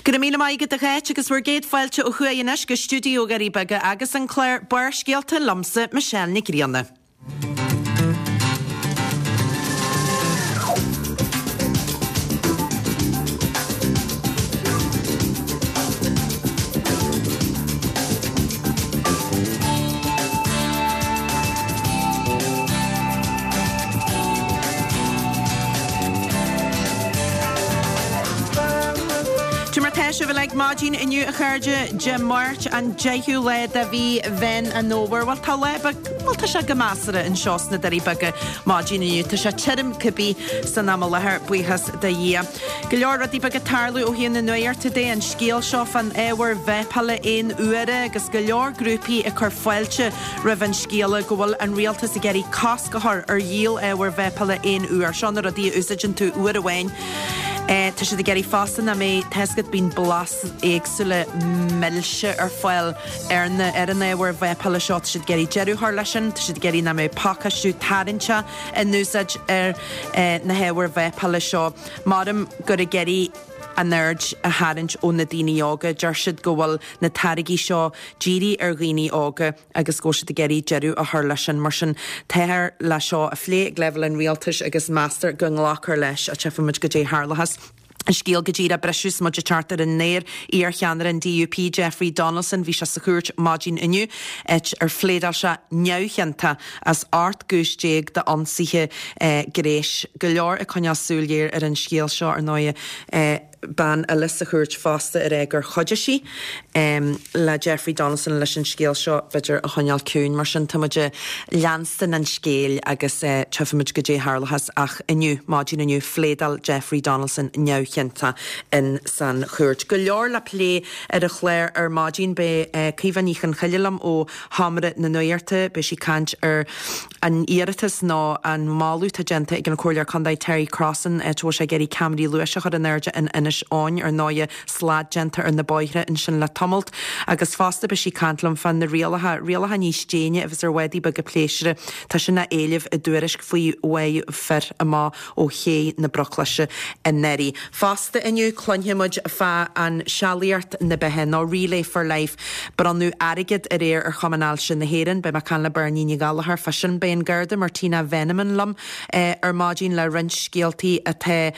Go raibh míle maith agat a Cháit agus bhur gcéad fáilte ó thuaidh anois go stiúideo Dhoirí Beaga agus an clár Barrscéalta liomsa, Michelle Nic Grianna. Cad é mar tá sibh uilig maidin inniu a chairde, Dé Máirt an 10ú lá de mhí Mheán an Fhómhair. Bhuel tá lá beag, bhuel tá sé go measartha anseo sna Doirí Beaga maidin inniu. Tá sé tirim cibé san am i láthair, buíochas do Dhia. Go leor rudaí beaga ag tarlú ó thaobh na nuachta de, an scéal seo fán ábhar vápála aon uaire agus go leor grúpaí ag cur fáilte roimh an scéala go bhfuil an rialtas ag iarraidh cosc a chur ar dhíol ábhair vápála aon uair. Seo na rudaí a úsáideann tú uair amháin. Tá siad ag iarraidh fosta nach mbeidh, tá a fhios agat, bíonn blas éagsúla milse ar fáil ar na, ar an ábhar vápála seo. Tá siad ag iarraidh deireadh a chur leis sin. Tá siad ag iarraidh nach mbeidh pacáistiú tarraingteach in úsáid ar na hábhair vápála seo. Maram gur ag iarraidh an aird a tharraingt ó na daoine óga. Deir siad go bhfuil na táirgí seo dírithe ar dhaoine óga agus go bhfuil siad ag iarraidh deireadh a chur leis sin. Mar sin, táthar le seo a phlé ag leibhéal an rialtais agus meastar go nglacfar leis. Tchífimid goidé a tharlóchas. An scéal go díreach briseadh is muid ag teacht ar an aer, iar-cheannaire an DUP, Jeffrey Donaldson, bhí sé sa chúirt maidin inniu, áit ar phléadáil sé neamhchiontach as 18 gcúis d'ionsaithe gnéis. Go leor ag coinneáil súil ghéar ar an scéal seo, ar ndóighe. Bean eile sa chúirt fosta ag rá gur chuidigh sí le Jeffrey Donaldson leis an scéal seo, b'fhéidir, a choinneáil ciúin. Mar sin, tá muid ag leanstan an scéil agus tchífimid goidé a tharlóchas. Ach inniu, maidin inniu, phléadáil Jeffrey Donaldson neamhchiontach in san chúirt. Go leor le plé ar an chlár ar maidin. Beidh Caoimhe Ní Chonchoille liom ó Sheomra na Nuachta. Beidh sí ag caint ar an iarratas nó an moladh atá déanta ag an Comhairleoir Contae Terry Crossan áit a bhfuil sé ag iarraidh ceamaraí luais a chur in airde in Inis Eoghain. Ar ndóighe, slad déanta ar na bóithre ansin le tamalt. Agus fosta beidh sí ag caint liom fá na rialacha, rialacha níos déine a bheas ar bhádaí beaga pléisiúir. Tá sin á éileamh i dtuairisc faoi bháthadh fir amach ó ché na Bruclaise anuraidh. Fosta inniu cluinfidh muid fá an Sealaíocht na Beatha nó Relay for Life. Bronnadh airgead aréir ar Chumann Ailse na hÉireann. Beidh mé ag caint le Beirní Ní Ghallchóir fá sin. Beidh an Garda Martina Veneman liom ar maidin le roinnt scéaltaí atá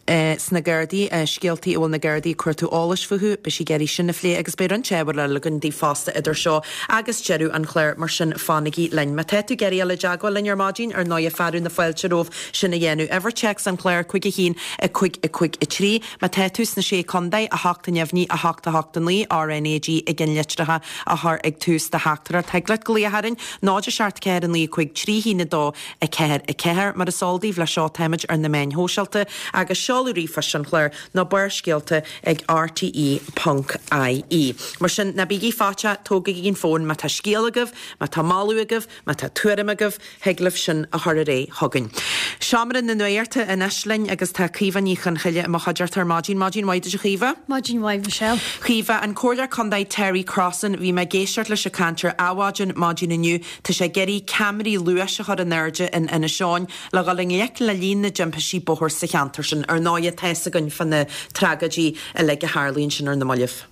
sna Gardaí, scéaltaí a bhfuil na Gardaí ag cuartú eolais fúthu. Beidh sí ag iarraidh sin a phlé agus beidh roinnt ábhair eile againn daoibh fosta idir seo agus deireadh an chláir, mar sin fanaigí linn. Má tá tú ag iarraidh dul i dteagmháil linn ar maidin, ar ndóighe fearadh na fáilte romhaibh sin a dhéanamh. Uimhir téacs an chláir, 5 1 5 5 3. Má tá tú sna Sé Contae, 8 neamhní, 8 8 9, RnaG i gceannlitreacha a chur ag tús do theachtaireacht. Thig leat glaoch orainn, 0 7 4 9 5 3 1 2 4 4. Mar is eol daoibh, leis seo táimid ar na meáin shóisialta agus seoladh ríomhphoist an chláir nó Barrscéalta ag rte ponc ie. Mar sin, ná bígí faiteach, tógaigí an fón má tá scéal agaibh, má tá moladh agaibh, má tá tuairim agaibh, thig libh sin a chur ar aghaidh chugainn. Seomra na Nuachta anois linn agus tá Caoimhe Ní Chonchoille i mo chuideachta ar maidin. Maidin mhaith duit a Chaoimhe. Maidin mhaith Michelle. Caoimhe, an Comhairleoir Contae Terry Crossan, bhí mé ag éisteacht leis ag caint ar Adhmhaidin maidin inniu. Tá sé ag iarraidh ceamaraí luais a chur in airde in Inis Eoghain le dhul i ngleic le líon na dtimpistí bóthair sa cheantar sin. Ar ndóighe, tá fhios againn fá na tragóidí uilig a tharlaíonn sin ar na mallaibh.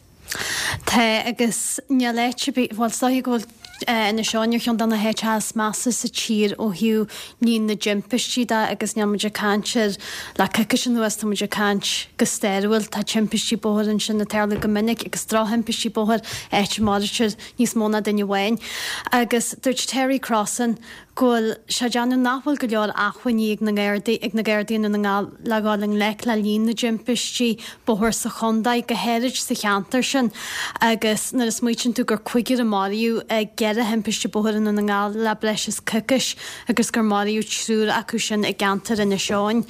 Tá, agus níl áit ar bith, bhuel, is dóiche go bhfuil Inis Eoghain ar cheann de na háiteacha is measa sa tír ó thaobh líon na dtimpistí de agus níl muid ag caint ar le coicís anuas, tá muid ag caint go stairiúil. Tá timpistí bóthair ansin ag tarlú go minic agus drochthimpistí bóthair, áit a maraítear níos mó ná duine amháin. Agus dúirt Terry Crossan go bhfuil sé ag déanamh nach bhfuil go leor acmhainní ag na Gardaí ag na Gardaí i nDún na nGall le dhul i ngleic le líon na dtimpistí bóthair sa chontae, go háirid sa cheantar sin agus nuair a smaoitíonn tú gur cúigear a maraíodh i gceithre thimpiste bóthair i nDún na nGall le breis is coicís agus gur maraíodh triúr acu sin i gceantar Inis Eoghain,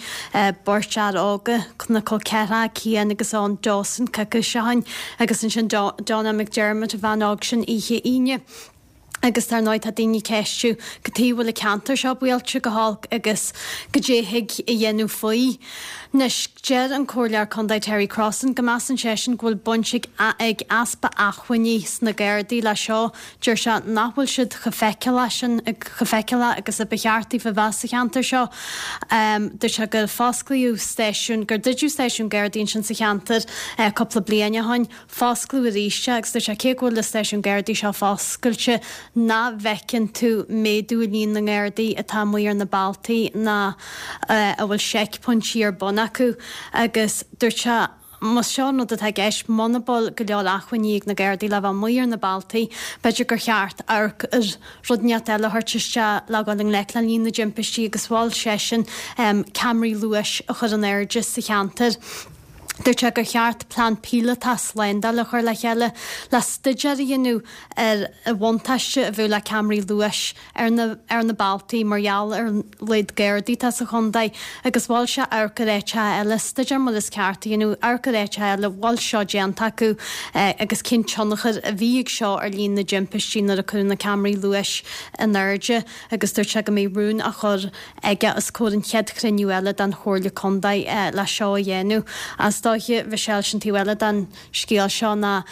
beirt fhear óga, na col ceathracha, Cian agus Eoin Dawson coicís ó shin agus ansin Donna McDermott, an bhean óg sin oíche Aoine. Agus dar ndóigh tá daoine ag ceistiú cad chuige a bhfuil an ceantar seo buailte go holc agus goidé thig a dhéanamh faoi. Anois, deir an Comhairleoir Contae Terry Crossan go measann seisean go bhfuil baint ag ag easpa acmhainní sna Gardaí le seo. Deir sé nach bhfuil siad chomh feiceálach sin, chomh feiceálach agus a ba cheart daofa bheith sa cheantar seo. Dúirt sé gur fosclaíodh stáisiún, gur druideadh stáisiún Gardaí ansin sa cheantar cúpla bliain ó shin. Fosclaíodh arís é agus dúirt sé cé go bhfuil an stáisiún Gardaí seo foscailte nach bhfeiceann tú méadú i líon na nGardaí atá amuigh ar na bealtaí ná a bhfuil seicphointí ar bun acu agus dúirt sé más seo an rud atá i gceist, muna bhfuil go leor acmhainní ag na Gardaí le bheith amuigh ar na bealtaí, b'fhéidir gur cheart amharc ar rud inteacht eile a thabhairt isteach le dhul i ngleic le líon na dtimpistí agus mhol seisean ceamaraí luais a chur in airde sa cheantar. Dúirt sé gur cheart plean píolótach slándála a chur le chéile le staidéar a dhéanamh ar an bhuntáiste a bheadh le ceamaraí luais ar na ar na bealtaí mar gheall ar an laghad Gardaí atá sa chontae agus mhol sé amharc ar áiteacha eile, staidéar mar is ceart a dhéanamh, amharc ar áiteacha eile a bhfuil seo déanta acu agus cén tionchar a bhí ag seo ar líon na dtimpistí nuair a cuireadh na ceamaraí luais in airde agus dúirt sé go mbeidh rún á chur aige os comhair an chéad chruinniú eile den Chomhairle Contae le seo a dhéanamh. Is dóiche, Michelle, sin taobh eile den scéal seo ná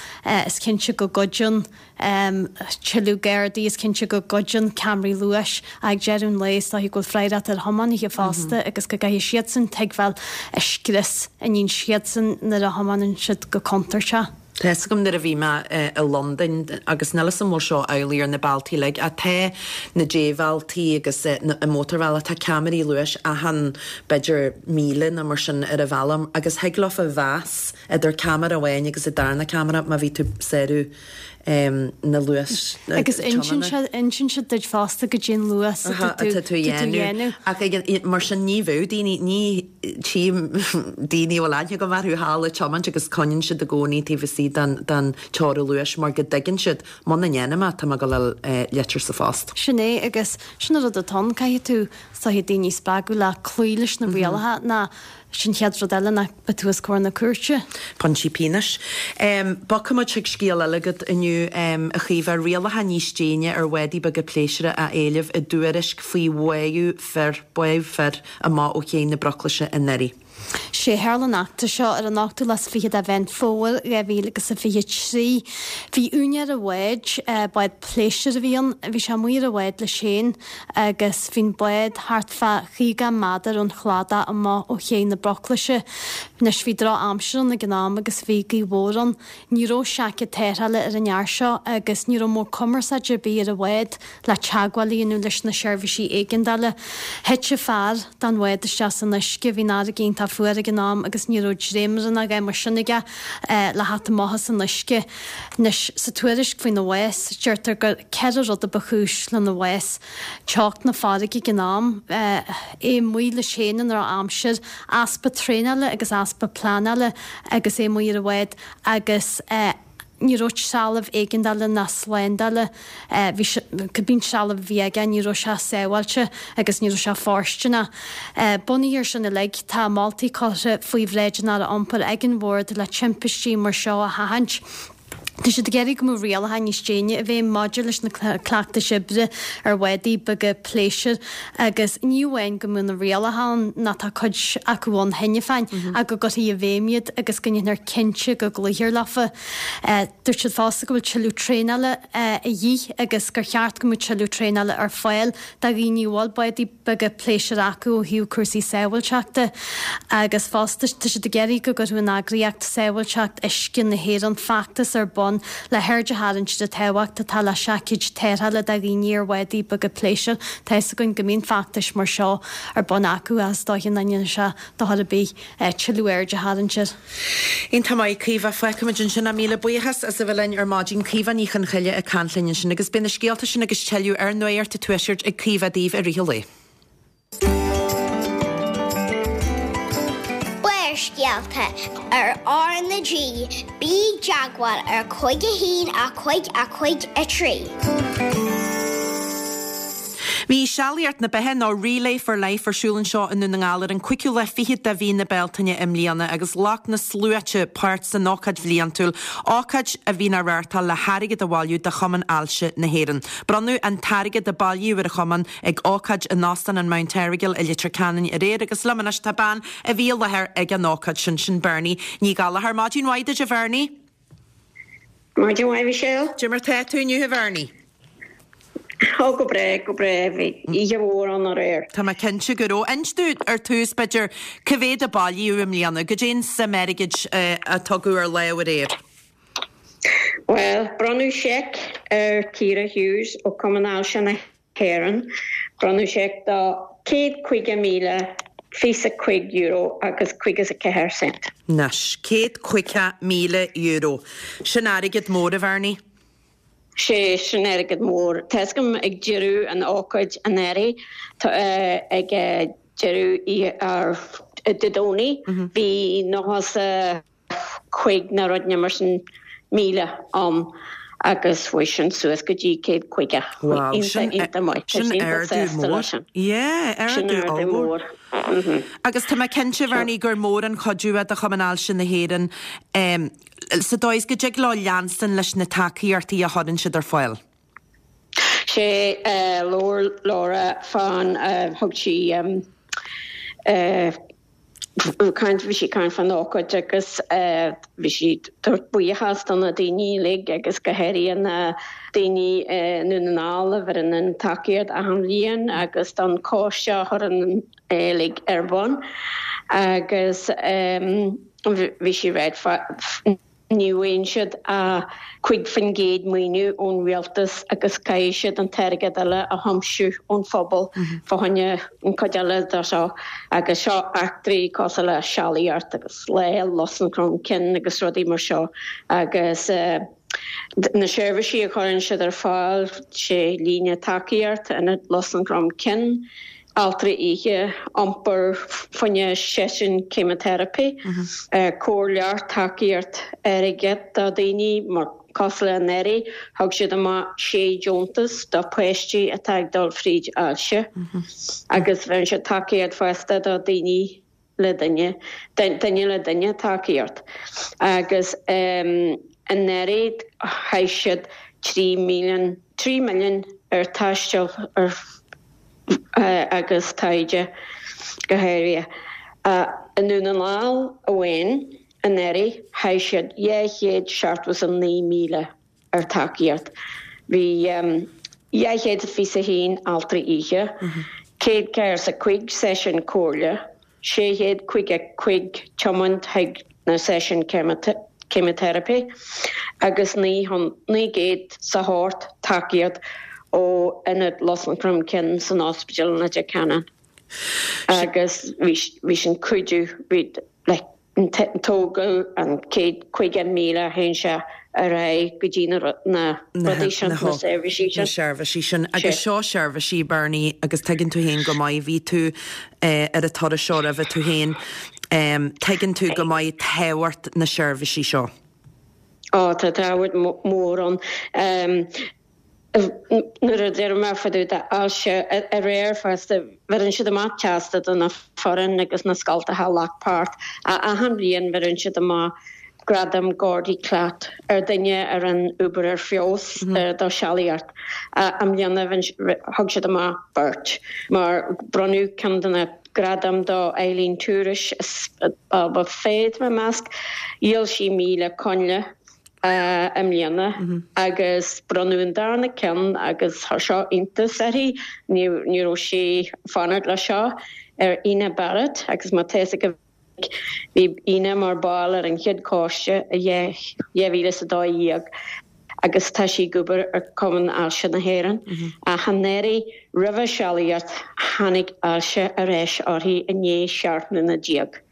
is cinnte go gcuidíonn tuilleadh Gardaí, is cinnte go gcuidíonn ceamaraí luais ach ag deireadh an lae is dóiche go bhfuil freagracht ar thiománaithe fosta agus go gcaithfidh siadsan tuigbheáil an scrios a níonn siadsan nuair a thiomáineann siad go contúirteach. Tá fhios agam nuair a bhí mé i Londain, agus níl fhios am bhfuil seo amhlaidh ar na bealtaí uilig, ach tá na débhealtaí agus an mótarbhealach, tá ceamaraí luais achan b'fhéidir míle nó mar sin ar an bhealach agus thig leofa mheas idir ceamara amháin agus an darna ceamara má bhí tú ag sárú na luas Agus insíonn siad, insíonn siad duit fosta goidé an luas atá tú, atá tú a dhéanamh. Ach ag, mar sin ní bheadh daoine, ní, Tchím daoine a bhfuil aithne agam orthu thall ag tiomáint agus coinníonn siad i gcónaí taobh istigh den teorainn luais mar go dtuigeann siad, muna ndéanaim é, tá mé ag dul a fháil litir sa phost. Sin é agus sin an rud atá ann, caithfidh tú, is dóiche, daoine a spreagadh le cloí leis na rialacha ná sin an chéad rud eile ná beidh tú os comhair na cúirte. Pointí pionóis. Bogfaimid chuig scéal eile agat inniu, a Chaoimhe, rialacha níos déine ar bhádaí beaga pléisiúir á éileamh i dtuairisc faoi bháthadh fir, báthadh fir. amach ó Ché na Bruclaise anuraidh. Sé tharla an eachtra seo ar an ochtú lá is fichead de Mheán Fómhair 2023. Bhí úinéir an bháid, bád pléisiúir a bhí ann, bhí sé amuigh ar an bhád leis féin agus bhí an bád thart fá 50 méadar ón chladach amach ó Ché na Bruclaise. Anois bhí droch aimsir ann ag an am agus bhí gaoth mhór ann. Ní raibh seaicéad tarrthála ar an fhear seo agus ní raibh modh cumarsáide ar bith ar an bhád le teagmháil a dhéanamh leis na seirbhísí éigeandála. Thit an fear den bhád isteach san uisce, bhí an fharraige iontach fuar ag an am agus ní raibh dréimire ná a dhath mar sin aige le theacht amach as an uisce. Anois, sa tuairisc faoina bhás, deirtear gur 4 rud a ba chúis lena bhás, teocht na farraige ag an am, é amuigh leis féin i ndrochaimsir, easpa traenála agus easpa pleanála agus é amuigh ar an bhád agus ní raibh trealamh éigeandála ná slándála, bhí sé, cibé an trealamh a bhí aige ní raibh sé sábháilte agus ní raibh sé fóirsteanach. Bunaithe ar sin uilig, tá moltaí curtha faoi bhráid an Aire Iompair ag an Bhord le timpistí mar seo a sheachaint. Tá siad ag iarraidh go mbeadh rialacha níos déine i bhfeidhm maidir leis na cleachtais oibre ar bhádaí beaga pléisiúir agus ní amháin go mbeadh na rialacha ann, nó tá cuid acu ann cheana féin, ach go gcuirfí i bhfeidhm iad agus go ndéanfar cinnte go gcloífear leofa. Dúirt siad fosta go bhfuil tuilleadh traenála a dhíth agus gur cheart go mbeadh tuilleadh traenála ar fáil do dhaoine a bhfuil bádaí beaga pléisiúir acu ó thaobh cúrsaí sábháilteachta agus fosta tá siad ag iarraidh go gcuirfeadh an eagraíocht Sábháilteacht Uisce na hÉireann feachtas ar bun le haird a tharraingt ar an tábhacht atá le seaicéid tarrthála do dhaoine ar bhádaí beaga pléisiúir. Tá fhios againn go mbíonn feachtais mar seo ar bun acu ach is dóiche nach ndéanfaidh sé dochar ar bith tuilleadh aird a tharraingt air. Iontach maith, Caoimhe. Fágfaimid ansin é. Míle buíochas as a bheith linn ar maidin. Caoimhe Ní Chonchoille ag caint linn ansin agus beidh na scéalta sin agus tuilleadh ar Nuacht an Tuaiscirt ag Caoimhe daoibh i rith an lae. Barrscéalta ar R na G, bí i dteagmháil ar 5 1 5 5 3. Bhí Sealaíocht na Beatha nó Relay for Life ar siúl anseo i nDún na nGall ar an cúigiú lá fichead de mhí na Bealtaine i mbliana agus ghlac na sluaite páirt san ócáid bhliantúil, ócáid a bhíonn á reáchtáil le hairgead a bhailiú do Chumann Ailse na hÉireann. Bronnadh an t-airgead a bailíodh ar an chumann ag ócáid in Óstán an Mount Errigal i Leitir Ceanainn aréir agus liom anois tá bean a bhí i láthair ag an ócáid sin, sin Bernie Ní Ghallchóir. Maidin mhaith duit a Bhernie. Maidin mhaith Michelle. Cad é mar tá tú inniu a Bhernie? Ó go breá, go breá. Bhí oíche mhór ann aréir. Tá mé cinnte go raibh. Inis dúinn ar tús b'fhéidir, cá mhéad a bailíodh i mbliana? Goidé an suim airgid a tugadh ar lámh aréir? Bhuel, bronnadh seic ar Ciara Hughes ó Cumann Ailse na hÉireann. Bronnadh seic do €150,025 agus 54 cent. Anois, €150,000. Sin airgead mór, a Bhernie. Sé, sin airgead mór. Tá 'fhios agam ag deireadh an ócáid anuraidh, ag deireadh ar Dé Domhnaigh, bhí 95 nó rud mar sin míle ann agus chuaigh sin suas go dtí 150. Wow, sin iontach maith. Tá sin ardú mór. Yeah, Sin ardú ardú ollmhór. mór. Agus tá mé cinnte, Bhernie, gur mór an cuidiú é do Chumann Ailse na hÉireann sa dóigh is go dtig leo leanstan leis na tacaíochtaí a chuireann siad ar fáil. Sé labhair Laura fán, thug sí caint, bhí sí ag caint fán ócáid agus bhí sí ag tabhairt buíochas do na daoine uilig agus go háirithe na daoine i nDún na nGall a bheireann an tacaíocht achan bhliain agus don choiste a chuireann é uilig ar bun agus bhí sí ag ráit Ní bhfaigheann siad ach 5% maoiniú ón rialtas agus caithfidh siad an t-airgead eile a thiomsiú ón phobal fá choinne an chuid eile de seo agus seo eachtraí cosúil le sealaíocht agus Lá Lus an Chromchinn agus rudaí mar seo agus na seirbhísí a chuireann siad ar fáil, sé líne tacaíocht, Ionad Lus an Chromchinn. altraí oíche, iompar fá choinne seisiún ceimiteiripe, comhairleoireacht, tacaíocht airgid do dhaoine, mar cosúil le anuraidh, thug siad amach sé deontas do pháistí atá ag dul fríd ailse agus bheireann siad tacaíocht fosta do daoine le duine, duine le duine tacaíocht agus anuraidh chaith siad 3 milliún, 3 milliún ar taisteal ar agus taighde go háirithe. I nDún na nGall amháin anuraidh chaith siad 279,000 ar tacaíocht. Bhí 221 altraí oíche, 145 seisiún comhairle, 655 tiomáint chuig na seisiúin ceimiteiripe agus 908 tacaíocht ó Ionad Lus an Chromchinn san Ospidéal in Leitir Ceanainn. Agus bhí sin cuidiú, bhí like, tógadh an 150,000 a théann sé ar aghaidh go dtí na rudaí sin, na seirbhísí sin. Na seirbhísí sin. Agus seo seirbhísí, Bernie, agus tuigeann tú féin go maith, bhí tú ar an turas seo roimhe tú féin, tuigeann tú go maith tábhacht na seirbhísí seo. Ó, tá tábhacht mhór ann. Nuair a deir mé fá dtaobh d'ailse aréir fosta, bheireann siad amach teastas do na foireann agus na scoltacha a ghlac páirt. Achan bhliain bheireann siad amach gradam Gordie Klatt ar duine a rinne obair ar feabhas do sealaíocht. I mbliana thug siad amach beirt mar bronnadh ceann de na gradaim do Eileen Tourish as Abha Féith, tá mé ag meas. Dhíol sí 1,000 coinnle. i mbliana agus bronnadh an darna ceann agus chuir seo iontas uirthi, ní raibh sí ag fanacht le seo, ar Ina Barrett agus má tá fhios agaibh bhí Ina mar ball ar an chéad choiste i 2012 agus tá sí ag obair ar Cumann Ailse na hÉireann. Ach anuraidh roimhe sealaíocht tháinig ailse ar ais uirthi i ndiaidh 17 mbliana.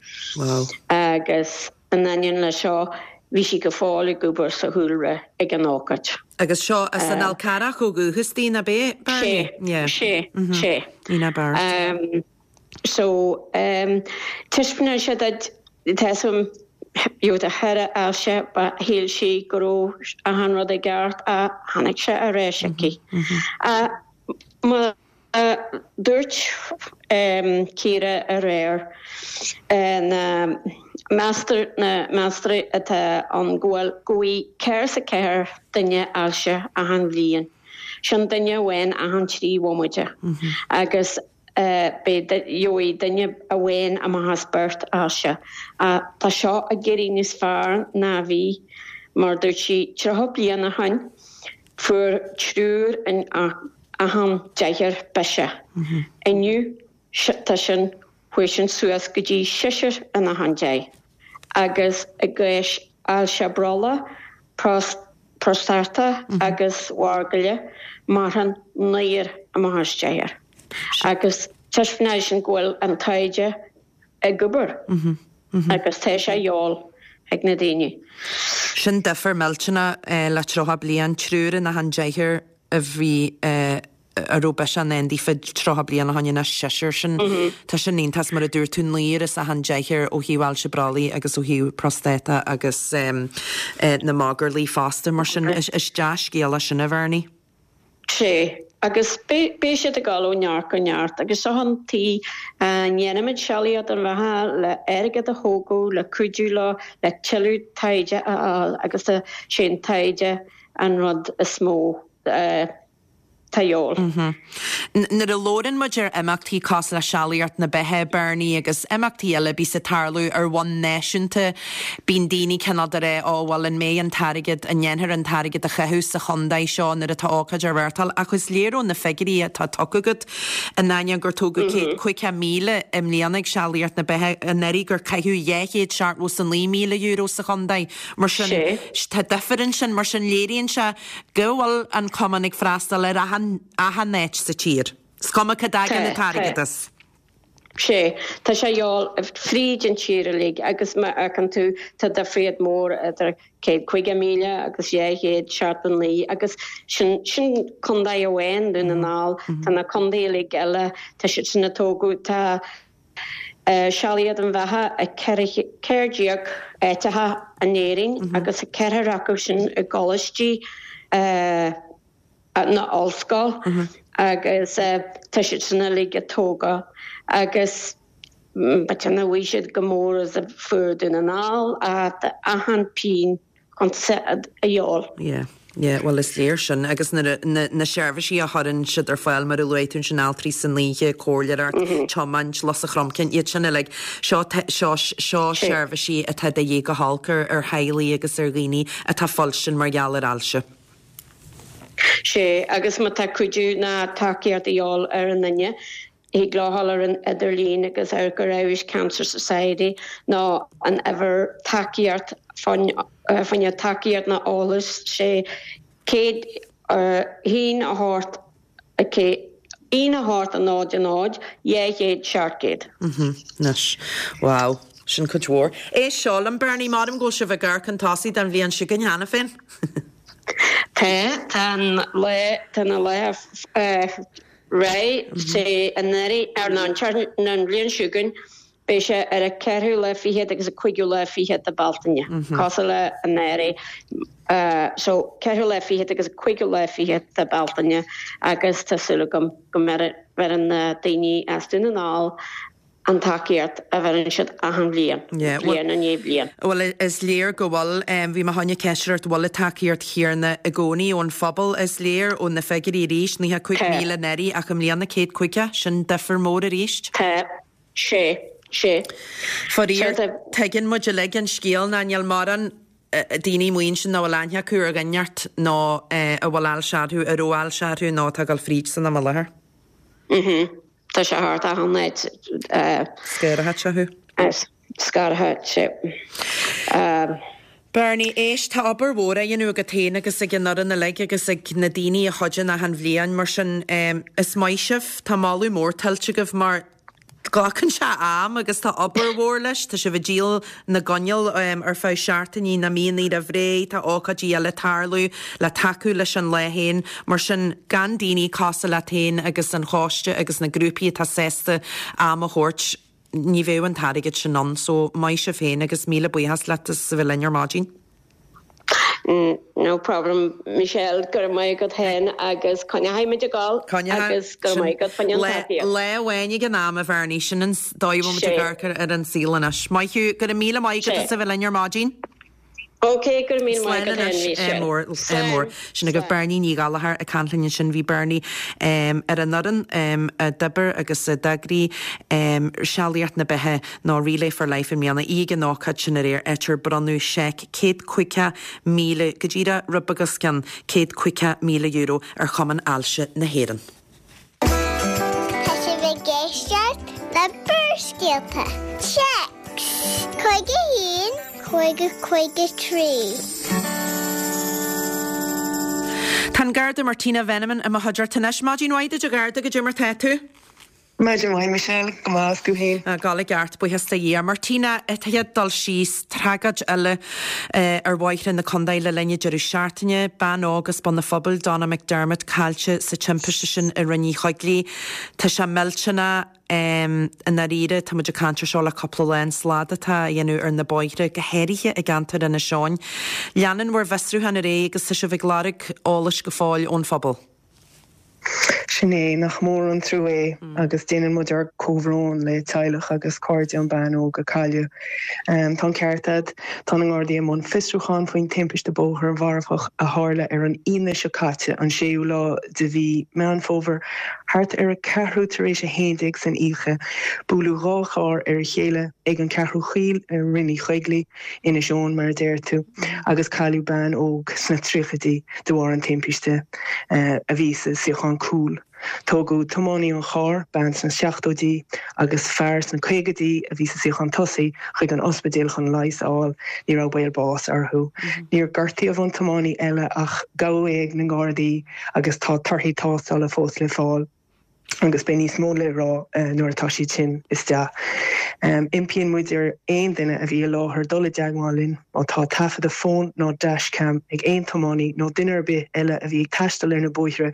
Agus In ainneoin le seo, bhí sí go fóill ag obair sa chúlra ag an ócáid. Agus seo as an Fhál Carrach ó dhúchas di, nach ea, Bernie? Sé, sé, sé. Ina Barrett. So, taispeánann sé duit, tá fhios agam, you know, thaire ailse, ba shíl sí go raibh achan rud i gceart ach tháinig sé ar ais aici. Má. Dúirt Ciara aréir na meastar na meastar atá ann go bhfuil go bhfaighidh 104 duine ailse achan bhliain. Sin duine amháin achan 3 bhomaite. Agus beidh gheobhaidh duine amháin amach as beirt ailse. Tá seo ag éirí níos fearr ná a bhí, mar dúirt sí 30 bliain ó shin fuair triúr in achan deichniúr biseach. Inniu tá sin, chuaigh sin suas go dtí seisear in achan deich. Agus i gcás ailse brollaigh, próstata agus mhargaile, maireann naonúr amach as deichniúr. Agus taispeánann sin go bhfuil an taighde ag obair agus tá sé a dhíobháil ag na daoine. Sin difear millteanach le 30 bliain, triúr in achan deichniúr a bhí, a raibh biseach i ndán daofa 30 bliain ó shoin anois seisear. Sin, tá sin iontach mar a dúirt tú, naonúr as achan deichniúr ó thaobh ailse brollaigh agus ó thaobh próstata agus na magairlí fosta. Mar sin, is dea-scéal é sin a Bhernie. Sea, agus beidh siad ag dul ó neart go neart agus seo an tuige a ndéanaimid Sealaíocht don Bheatha le airgead a thógadh, le cuidiú leo, le tuilleadh taighde a fháil agus tá sé an taighde an rud is mó atá a dhíobháil. Nuair a labhrann muid ar imeachtaí cosúil le Sealaíocht na Beatha, Bernie, agus imeachtaí eile a bíos ag tarlú ar bhonn náisiúnta, bíonn daoine cineál de rá, ó bhuel an mbeidh an t-airgead, an ndéanfar an t-airgead a chaitheamh sa chontae seo nuair atá ócáid á reáchtáil ach is léir ó na figiúirí atá tugtha agat, in ainneoin gur tógadh 150,000 i mbliana ag Sealaíocht na Beatha, anuraidh gur caitheadh €279,000 sa chontae. Mar sin, tá difear ansin, mar sin léiríonn sé go bhfuil an cumann ag freastal ar achan, achan áit sa tír. Is cuma cá dtagann an t-airgead as. Sea, tá sé a dhíobháil fríd an tír uilig agus má fheiceann tú tá difríocht mór idir 150,000 agus 279 agus sin, sin contae amháin, Dún na nGall, tá na contae uilig eile, tá siad sin ag tógadh, tá Sealaíocht don Bheatha i 14 áiteacha in Éirinn agus ceathrar acu sin i gcoláistí nó ollscoil agus tá siad sin uilig ag tógáil agus b'fhéidir nach bhfaighidh siad chomh mór is a fuair Dún na nGall ach achan pingin chun a dhíobháil. Yeah. Yeah, bhuel is léir sin agus na, na, na seirbhísí a chuireann siad ar fáil mar a luaigh tú ansin altraí san oíche, comhairleoireacht, tiomáint, lus an chromchinn, iad sin uilig. Seo, seo, seo seirbhísí atá de dhíth go holc ar, ar theaghlaigh agus ar dhaoine atá fuilstin mar gheall ar ailse. Sea, agus má tá cuidiú ná tacaíocht a dhíobháil ar an duine, Thig leo dhul ar an idirlíon agus amharc ar Irish Cancer Society nó an uimhir tacaíocht fá choinne tacaíocht nó eolas 6 1 1 8 1 8 0 0 200 700. Anois. Wow. Sin cuid mhór. Éist seo liom, Bernie, maram go bhfuil sibh ag amharc chun tosaigh don bhliain seo chugainn cheana féin. Tá, tá an lá, tá na lá Réidh sé anuraidh ar an an bhliain seo chugainn beidh sé ar an ceathrú lá fichead agus an cúigiú lá fichead de Bealtaine, cosúil le anuraidh. So ceathrú lá fichead agus an cúigiú lá fichead de Bealtaine agus tá súil agam go mbeireann na daoine as Dún na nGall an tacaíocht a bheireann siad achan bhliain, bliain i ndiaidh bliain. Bhuel, is léir go bhfuil. Bhí mé chun ceist ort, bhfuil an tacaíocht chéanna i gcónaí ón phobal? Is léir ó na figiúirí arís, 95,000 anuraidh ach i mbliana 150, sin difear mór arís. Tá, sé, sé. Faraor, tuigeann muid uilig an scéal ná níl mórán daoine amuigh ansin nach bhfuil aithne acu ar dhuine inteacht nó a bhfuil ailse orthu, a raibh ailse orthu nó atá ag dul fríd san am i láthair. Tá sé thart achan áit. Scartha sé thú. Scartha sé. Bernie, éist, tá obair mhór á dhéanamh agat féin agus ag an fhoireann uilig agus ag na daoine a chuidíonn achan bhliain, mar sin is maith sibh, tá moladh mór tuillte agaibh mar glacann sé am agus tá obair mhór leis, tá sibh ag díol na gcoinneal ar feadh seachtainí nó míonna roimh ré, tá ócáidí eile ag tarlú le tacú leis an lá féin, mar sin gan daoine cosúil leat féin agus an choiste agus na grúpaí atá sásta am a thabhairt, ní bheadh an t-airgead sin ann. So maith sibh féin agus míle buíochas leat as a bheith linn ar maidin. No problem Michelle, go raibh maith agat féin agus coinneoidh muid ag gabháil agus go raibh maith agat fá choinne an tacaíocht. Lá amháin ag an am a Bhernie, sin an dóigh a bhfuil muid ag amharc ar an saol anois. Maith thú, go raibh míle maith agat as a bheith linn ar maidin. Ok, go raibh míle maith agat féin Michelle. Mór, mór. Sin agaibh Bernie Ní Ghallchóir ag caint linn ansin. Bhí Bernie ar an fhoireann a d'oibir agus a d'eagraigh Sealaíocht na Beatha nó Relay for Life i mbliana. Í ag an ócáid sin aréir, áit ar bronnadh seic 150,000, go díreach rud beag os cionn €150,000 ar Chumann Ailse na hÉireann. Tá sibh ag éisteacht le Barrscéalta. Téacs 51 50 53. Tá an Garda Martina Veneman i mo chuideachta anois. Maidin mhaith duit a Gharda, goidé mar tá tú? Maidin mhaith Michelle, go maith is tú féin? Ag gabháil i gceart, buíochas do Dhia. Martina, an chéad dul síos, tragóid eile ar bhóithre na contae le linn an deireadh seachtaine. Bean óg as Bun an Phobail, Donna McDermott, caillte sa timpiste sin i Rinn Uí Choigligh. Tá sé millteanach i ndáiríre, tá muid ag caint ar seo le cúpla lá, an slad atá á dhéanamh ar na bóithre, go háirithe i gceantar Inis Eoghain. Leanann bhur bhfiosrúchán ar aghaidh agus tá sibh ag lorg eolais go fóill ón phobal. Sin é, nach mór an trua é agus déanann muid ár comhbhrón le teaghlach agus cairde an bean óg a cailleadh. Tá an ceart a'd, tá na nGardaí i mbun fiosrúchán faoin timpiste bóthair mharfach a tharla ar an Aoine seo caite, an séú lá de mhí Meán Fómhair, thart ar a ceathrú tar éis a haon déag san oíche. Buaileadh dhá charr ar a chéile ag an Cheathrú Chaoil i Rinn Uí Choigligh. Inis Eoghain, mar a deir tú, agus cailleadh bean óg sna tríochaidí de bharr an timpiste, a bhí sa suíochán cúil. Tógadh tiománaí an chairr, bean sna seachtóidí, agus fear sna caogaidí a bhí sa suíochán tosaigh, chuig an ospidéal chun leigheas a fháil. Ní raibh baol báis orthu. Níor gortaíodh an tiománaí eile ach gabhadh é ag na nGardaí agus tá torthaí tástála fós le fáil. agus beidh níos mó le rá nuair atá siad sin isteach. Impíonn muid ar aon duine a bhí i láthair dul i dteagmháil linn má tá taifeadadh fóin nó dashcam ag aon tiománaí nó duine ar bith eile a bhí ag taisteal ar na bóithre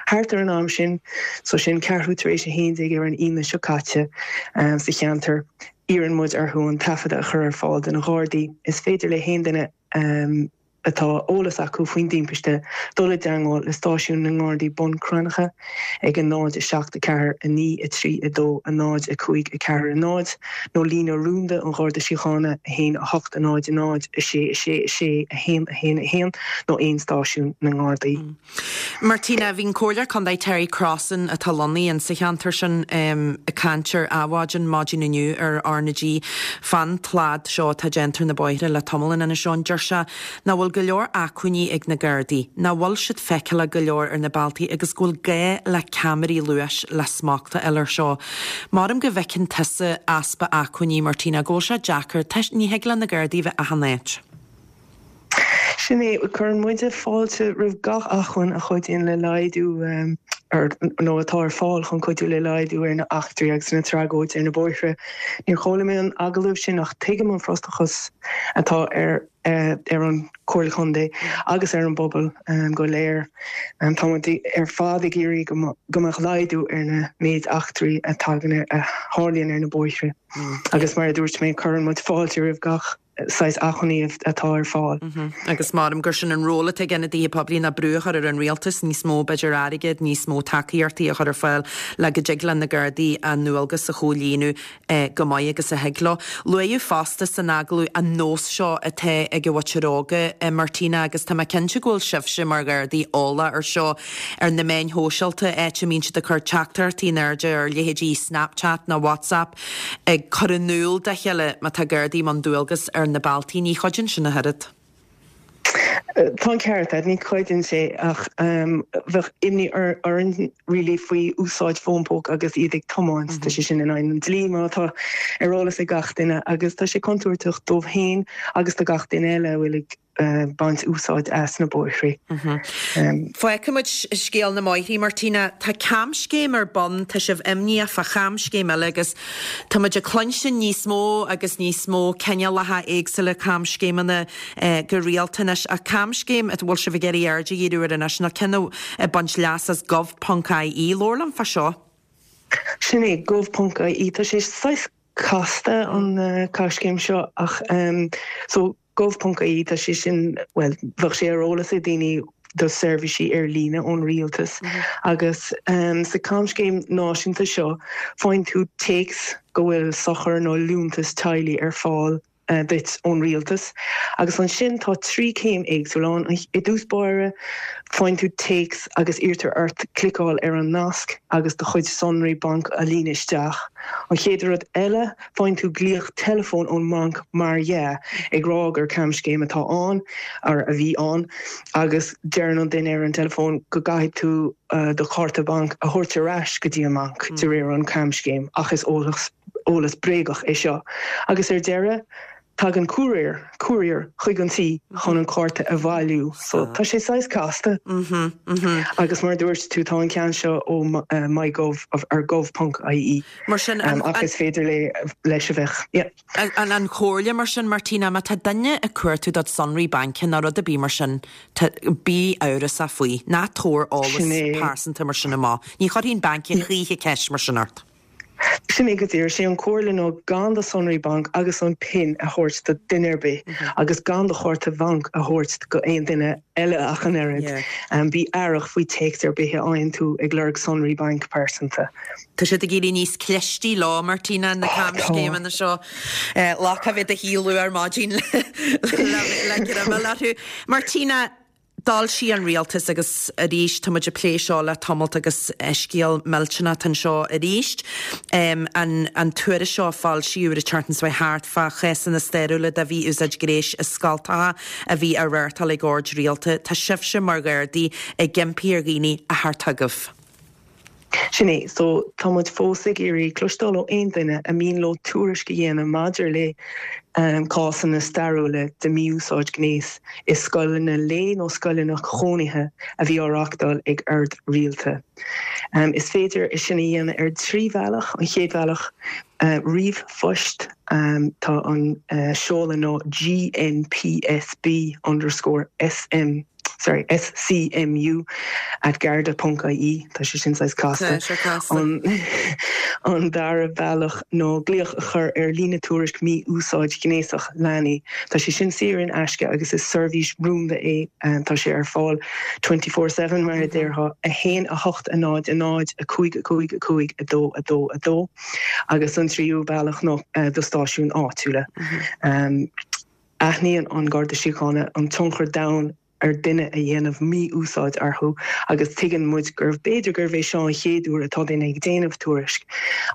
thart ar an am sin, so sin ceathrú tar éis a haon déag ar an Aoine seo caite, sa cheantar. Iarrann muid orthu an taifeadadh a chur ar fáil do na Gardaí. Is féidir le haon duine. atá eolas acu faoin dtimpiste dul i dteagmháil le stáisiún na nGardaí Bun Cranncha ag 0 7 4 9 3 2 0 5 4 0 nó líne rúnda an Gharda Síochána 1 8 0 0 6 6 6 1 1 1 nó aon stáisiún na nGardaí. Martina, Bhí an Comhairleoir Contae Terry Crossan, atá lonnaithe insa cheantar sin, ag caint ar Adhmhaidin maidin inniu ar R na G fán tslad seo atá déanta ar na bóithre le tamall in Inis Eoghain. Deir sé nach bhfuil go leor acmhainní ag na Gardaí, nach bhfuil siad feiceálach go leor ar na bealtaí agus go bhfuil gá le ceamaraí luais le smacht a fháil air seo. Maram go bhfeiceann tusa easpa acmhainní, Martina, go bhfuil sé deacair, ní thig le na Gardaí a bheith achan áit. Sin é, cuireann muide fáilte roimh gach acmhainn a chuidíonn le laghdú ar, nó atá ar fáil chun cuidiú le laghdú ar na eachtraí agus na tragóidí ar na bóithre. Níor chuala mé an agallamh sin ach tuigim an frustrachas atá ar ar an Chomhairle Contae agus ar an bpobal go léir. Tá muid ar fad ag iarraidh go mbeadh laghdú ar na méid eachtraí a tagann a tharlaíonn ar na bóithre. Agus mar a dúirt mé, cuireann muid fáilte roimh gach. saghas acmhainní atá ar fáil. Agus maram gur sin an ról atá ag ionadaithe poiblí ná brú a chur ar an rialtas níos mó, b'fhéidir, airgead, níos mó tacaíochtaí a chur ar fáil le go dtig le na Gardaí a ndualgas a chomhlíonadh go maith agus a thig leo. Luaíodh fosta san agallamh an nós seo atá ag an mhuintir óga, Martina, agus tá mé cinnte go bhfuil sibhse mar Ghardaí eolach ar seo, ar na meáin shóisialta, áit a mbíonn siad ag cur teachtaireachtaí in airde ar leithéidí Snapchat nó WhatsApp, ag cur in iúl dá chéile má tá Gardaí i mbun dualgas ar na bealtaí. Ní chuidíonn sin ach oiread. Tá an ceart agat, ní chuidíonn sé ach bheadh imní orainn really faoi úsáid fón póca agus iad ag tiomáint. Tá sé sin in aghaidh an dlí mar atá ar eolas ag gach duine agus tá sé contúirteach dóibh féin agus do gach duine eile a bhfuil ag baint úsáid as na bóithrí. Fágfaidh muid scéal na mbóithrí, Martina. Tá camscéim ar bun, tá sibh imníoch fá chamscéim eile agus tá muid ag cluinstin níos mó agus níos mó cineálacha éagsúla camscéimeanna go rialta anois. Ach camscéim a bhfuil sibh ag iarraidh aird a dhíriú air anois ná ceann ag baint leas as gov.ie. Labhair liom fá seo. Sin é, gov.ie. Tá sé saghas casta an camscéim seo ach so. Gov.ie, tá sé sin, bhuel, bheadh sé ar eolas ag daoine do seirbhísí ar líne ón rialtas agus sa camscéim náisiúnta seo faigheann tú téacs go bhfuil sochar nó liúntas teaghlaigh ar fáil duit ón rialtas agus ansin tá 3 céim éagsúla ann. I dtús báire faigheann tú téacs agus iarrtar ort cliceáil ar an nasc agus do chuid sonraí bainc a líonadh isteach. An chéad rud eile, faigheann tú glaoch teileafóin ón mbanc mar dhea ag rá gur camscéim atá ann, or a bhí ann, agus deireann an duine ar an teileafón go gcaithfidh tú do chárta bainc a thabhairt ar ais go dtí an mbanc de réir an camscéim ach is eolas eolas bréagach é seo. Agus ar deireadh, tagann cúiréir, courier, chuig an tí chun an cárta a bhailiú. So, tá sé saghas casta. Agus mar a dúirt tú, tá an ceann seo ó MyGov ar gov.ie. Mar sin, an. Ach is féidir leis a bheith, yeah. An an chomhairle mar sin, Martina, má tá duine ag cuartú do sonraí bainc nó rud ar bith mar sin, tá, bí amhrasach faoi. Ná tabhair eolas pearsanta mar sin amach. Ní chuirfidh an banc a choíche ceist mar sin ort. Sin é go díreach. Sé an comhairle ná gan do sonraí bainc agus an pin a thabhairt do duine ar bith agus gan do chárta bhainc a thabhairt go aon duine eile ach an oiread. Bí aireach faoi téacs ar bith a fhaigheann tú ag lorg sonraí bainc pearsanta. Tá siad ag éirí níos clistí leo, Martina, na camscéimeanna seo. Lá cá bheith do shíolú ar maidin le greim a fháil orthu. Martina, D'fhoilsigh an rialtas, agus arís tá muid ag plé seo le tamalt agus scéal millteanach anseo arís, an an tuairisc seo a foilsíodh ar an tseachtain seo thart fá chásanna stairiúla de mhí-úsáid gnéis i scoltacha a bhí á reáchtáil ag oird rialta. Tá sibhse mar Ghardaí ag impí ar dhaoine a theacht chugaibh. Sin é. So, tá muid fós ag iarraidh cloisteáil ó aon duine a mian leo tuairisc a dhéanamh maidir le cásanna stairiúla de mhí-úsáid gnéis i scoileanna lae nó scoileanna cónaithe a bhí á reáchtáil ag oird rialta. Is féidir é sin a dhéanamh ar thrí bhealach. An chéad bhealach, ríomhphost. Tá an seoladh ná GNPSB underscore SM. sorry, SCMU at garda ponc ie, tá sé sin saghas casta. Tá sé casta. An an dara bealach ná glaoch a chur ar líne tuairisc mí-úsáid ghnéasach leanaí. Tá sé sin saor in aisce agus is seirbhís rúnda é. Tá sé ar fáil 24/7 mar a déarfá, 1 8 0 0 5 5 5 2 2 2 agus an tríú bealach ná do stáisiún áitiúla. Aithníonn an Garda Síochána an tionchar domhain ar duine a dhéanamh mí-úsáid orthu agus tuigeann muid gurbh b'fhéidir gurbh é seo an chéad uair atá duine ag déanamh tuairisc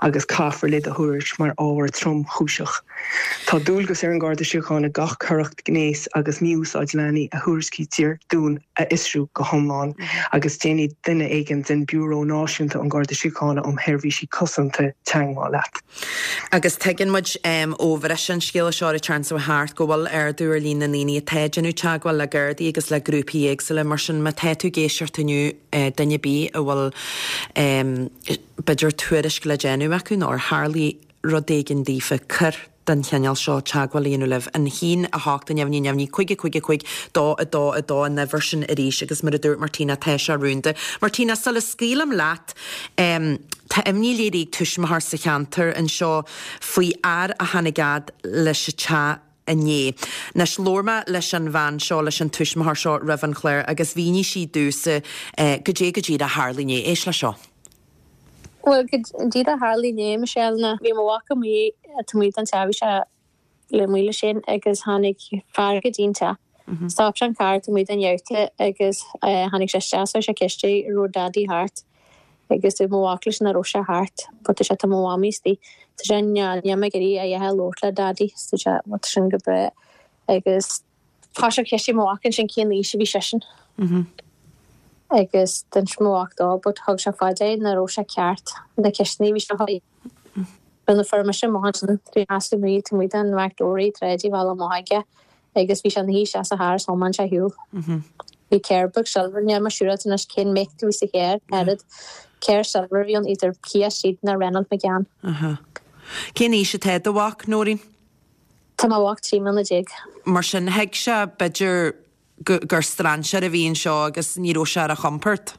agus caithfear le do thuairisc mar ábhar tromchúiseach. Tá dualgas ar an Gharda Síochána gach coireacht gnéis agus mí-úsáid leanaí a thuairiscítear dúinn a fhiosrú go hiomlán agus déanfaidh duine éigin den Biúró Náisiúnta an Gharda Síochána um Sheirbhísí Cosanta teagmháil leat. Agus tuigeann muid ó bhriseadh an scéala seo ar an tseachtain seo thart go bhfuil ardú ar líon na ndaoine atá ag déanamh teagmháil le Gardaí agus le grúpaí éagsúla. Mar sin, má tá tú ag éisteacht inniu, duine ar bith a bhfuil b'fhéidir tuairisc le déanamh acu nó ar tharlaigh rud éigin daofa, coir den chineál seo teagmháil a dhéanamh libh. An 1 8 neamhní neamhní 5 5 5 2 2 2 an uimhir sin arís agus mar a dúirt Martina tá sé rúnda. Martina, sula scaoilim leat, Tá imní léirithe ag tuismitheoir sa cheantar anseo faoi fhear a tháinig fhad leis an teach inné. Anois, labhair mé leis an bhean seo, leis an tuismitheoir seo roimh an chlár agus mhínigh sí domhsa goidé go díreach a tharla inné. Éist leis seo. Bhuel, go díreach a tharla inné, Michelle, ná bhí mo mhac amuigh taobh amuigh den teach, bhí sé amuigh le Shane agus tháinig fear go dtí an teach. Stop sé an carr taobh amuigh den gheabhta agus tháinig sé isteach so chuir sé ceist air an raibh Daidí thart agus dúirt mo mhac leis nach raibh sé thart but dúirt sé tá mo mhamaí istigh. Dúirt sé níl níl mé ag iarraidh a dhath a labhairt le Daidí so dúirt sé bhuel tá sin go breá agus thosaigh sé ag ceistiú mo mhac ansin cén aois a bhí seisean agus d'inis mo mhac dó but thug sé fá dear nach raibh sé ceart na ceisteanna a bhí sé a Nuair a fuair mise amach ansin, bhí sheasamh amuigh taobh amuigh den Mac Dory tar éis a bhealach amach aige agus bhí sé ina shuí isteach sa charr is thiomáin sé ar shiúl. Bhí carr beag silver, níl mé siúráilte anois cén make a bhí sa charr, oiread. Carr silver a bhí ann, either Kia Ceed nó Renault Megane. Cén aois atá do mhac, Nóirín? Tá mo mhac 13 mbliana. Mar sin, thuig sé, b'fhéidir, gur strainséir a bhí anseo agus ní raibh sé ar a chompord.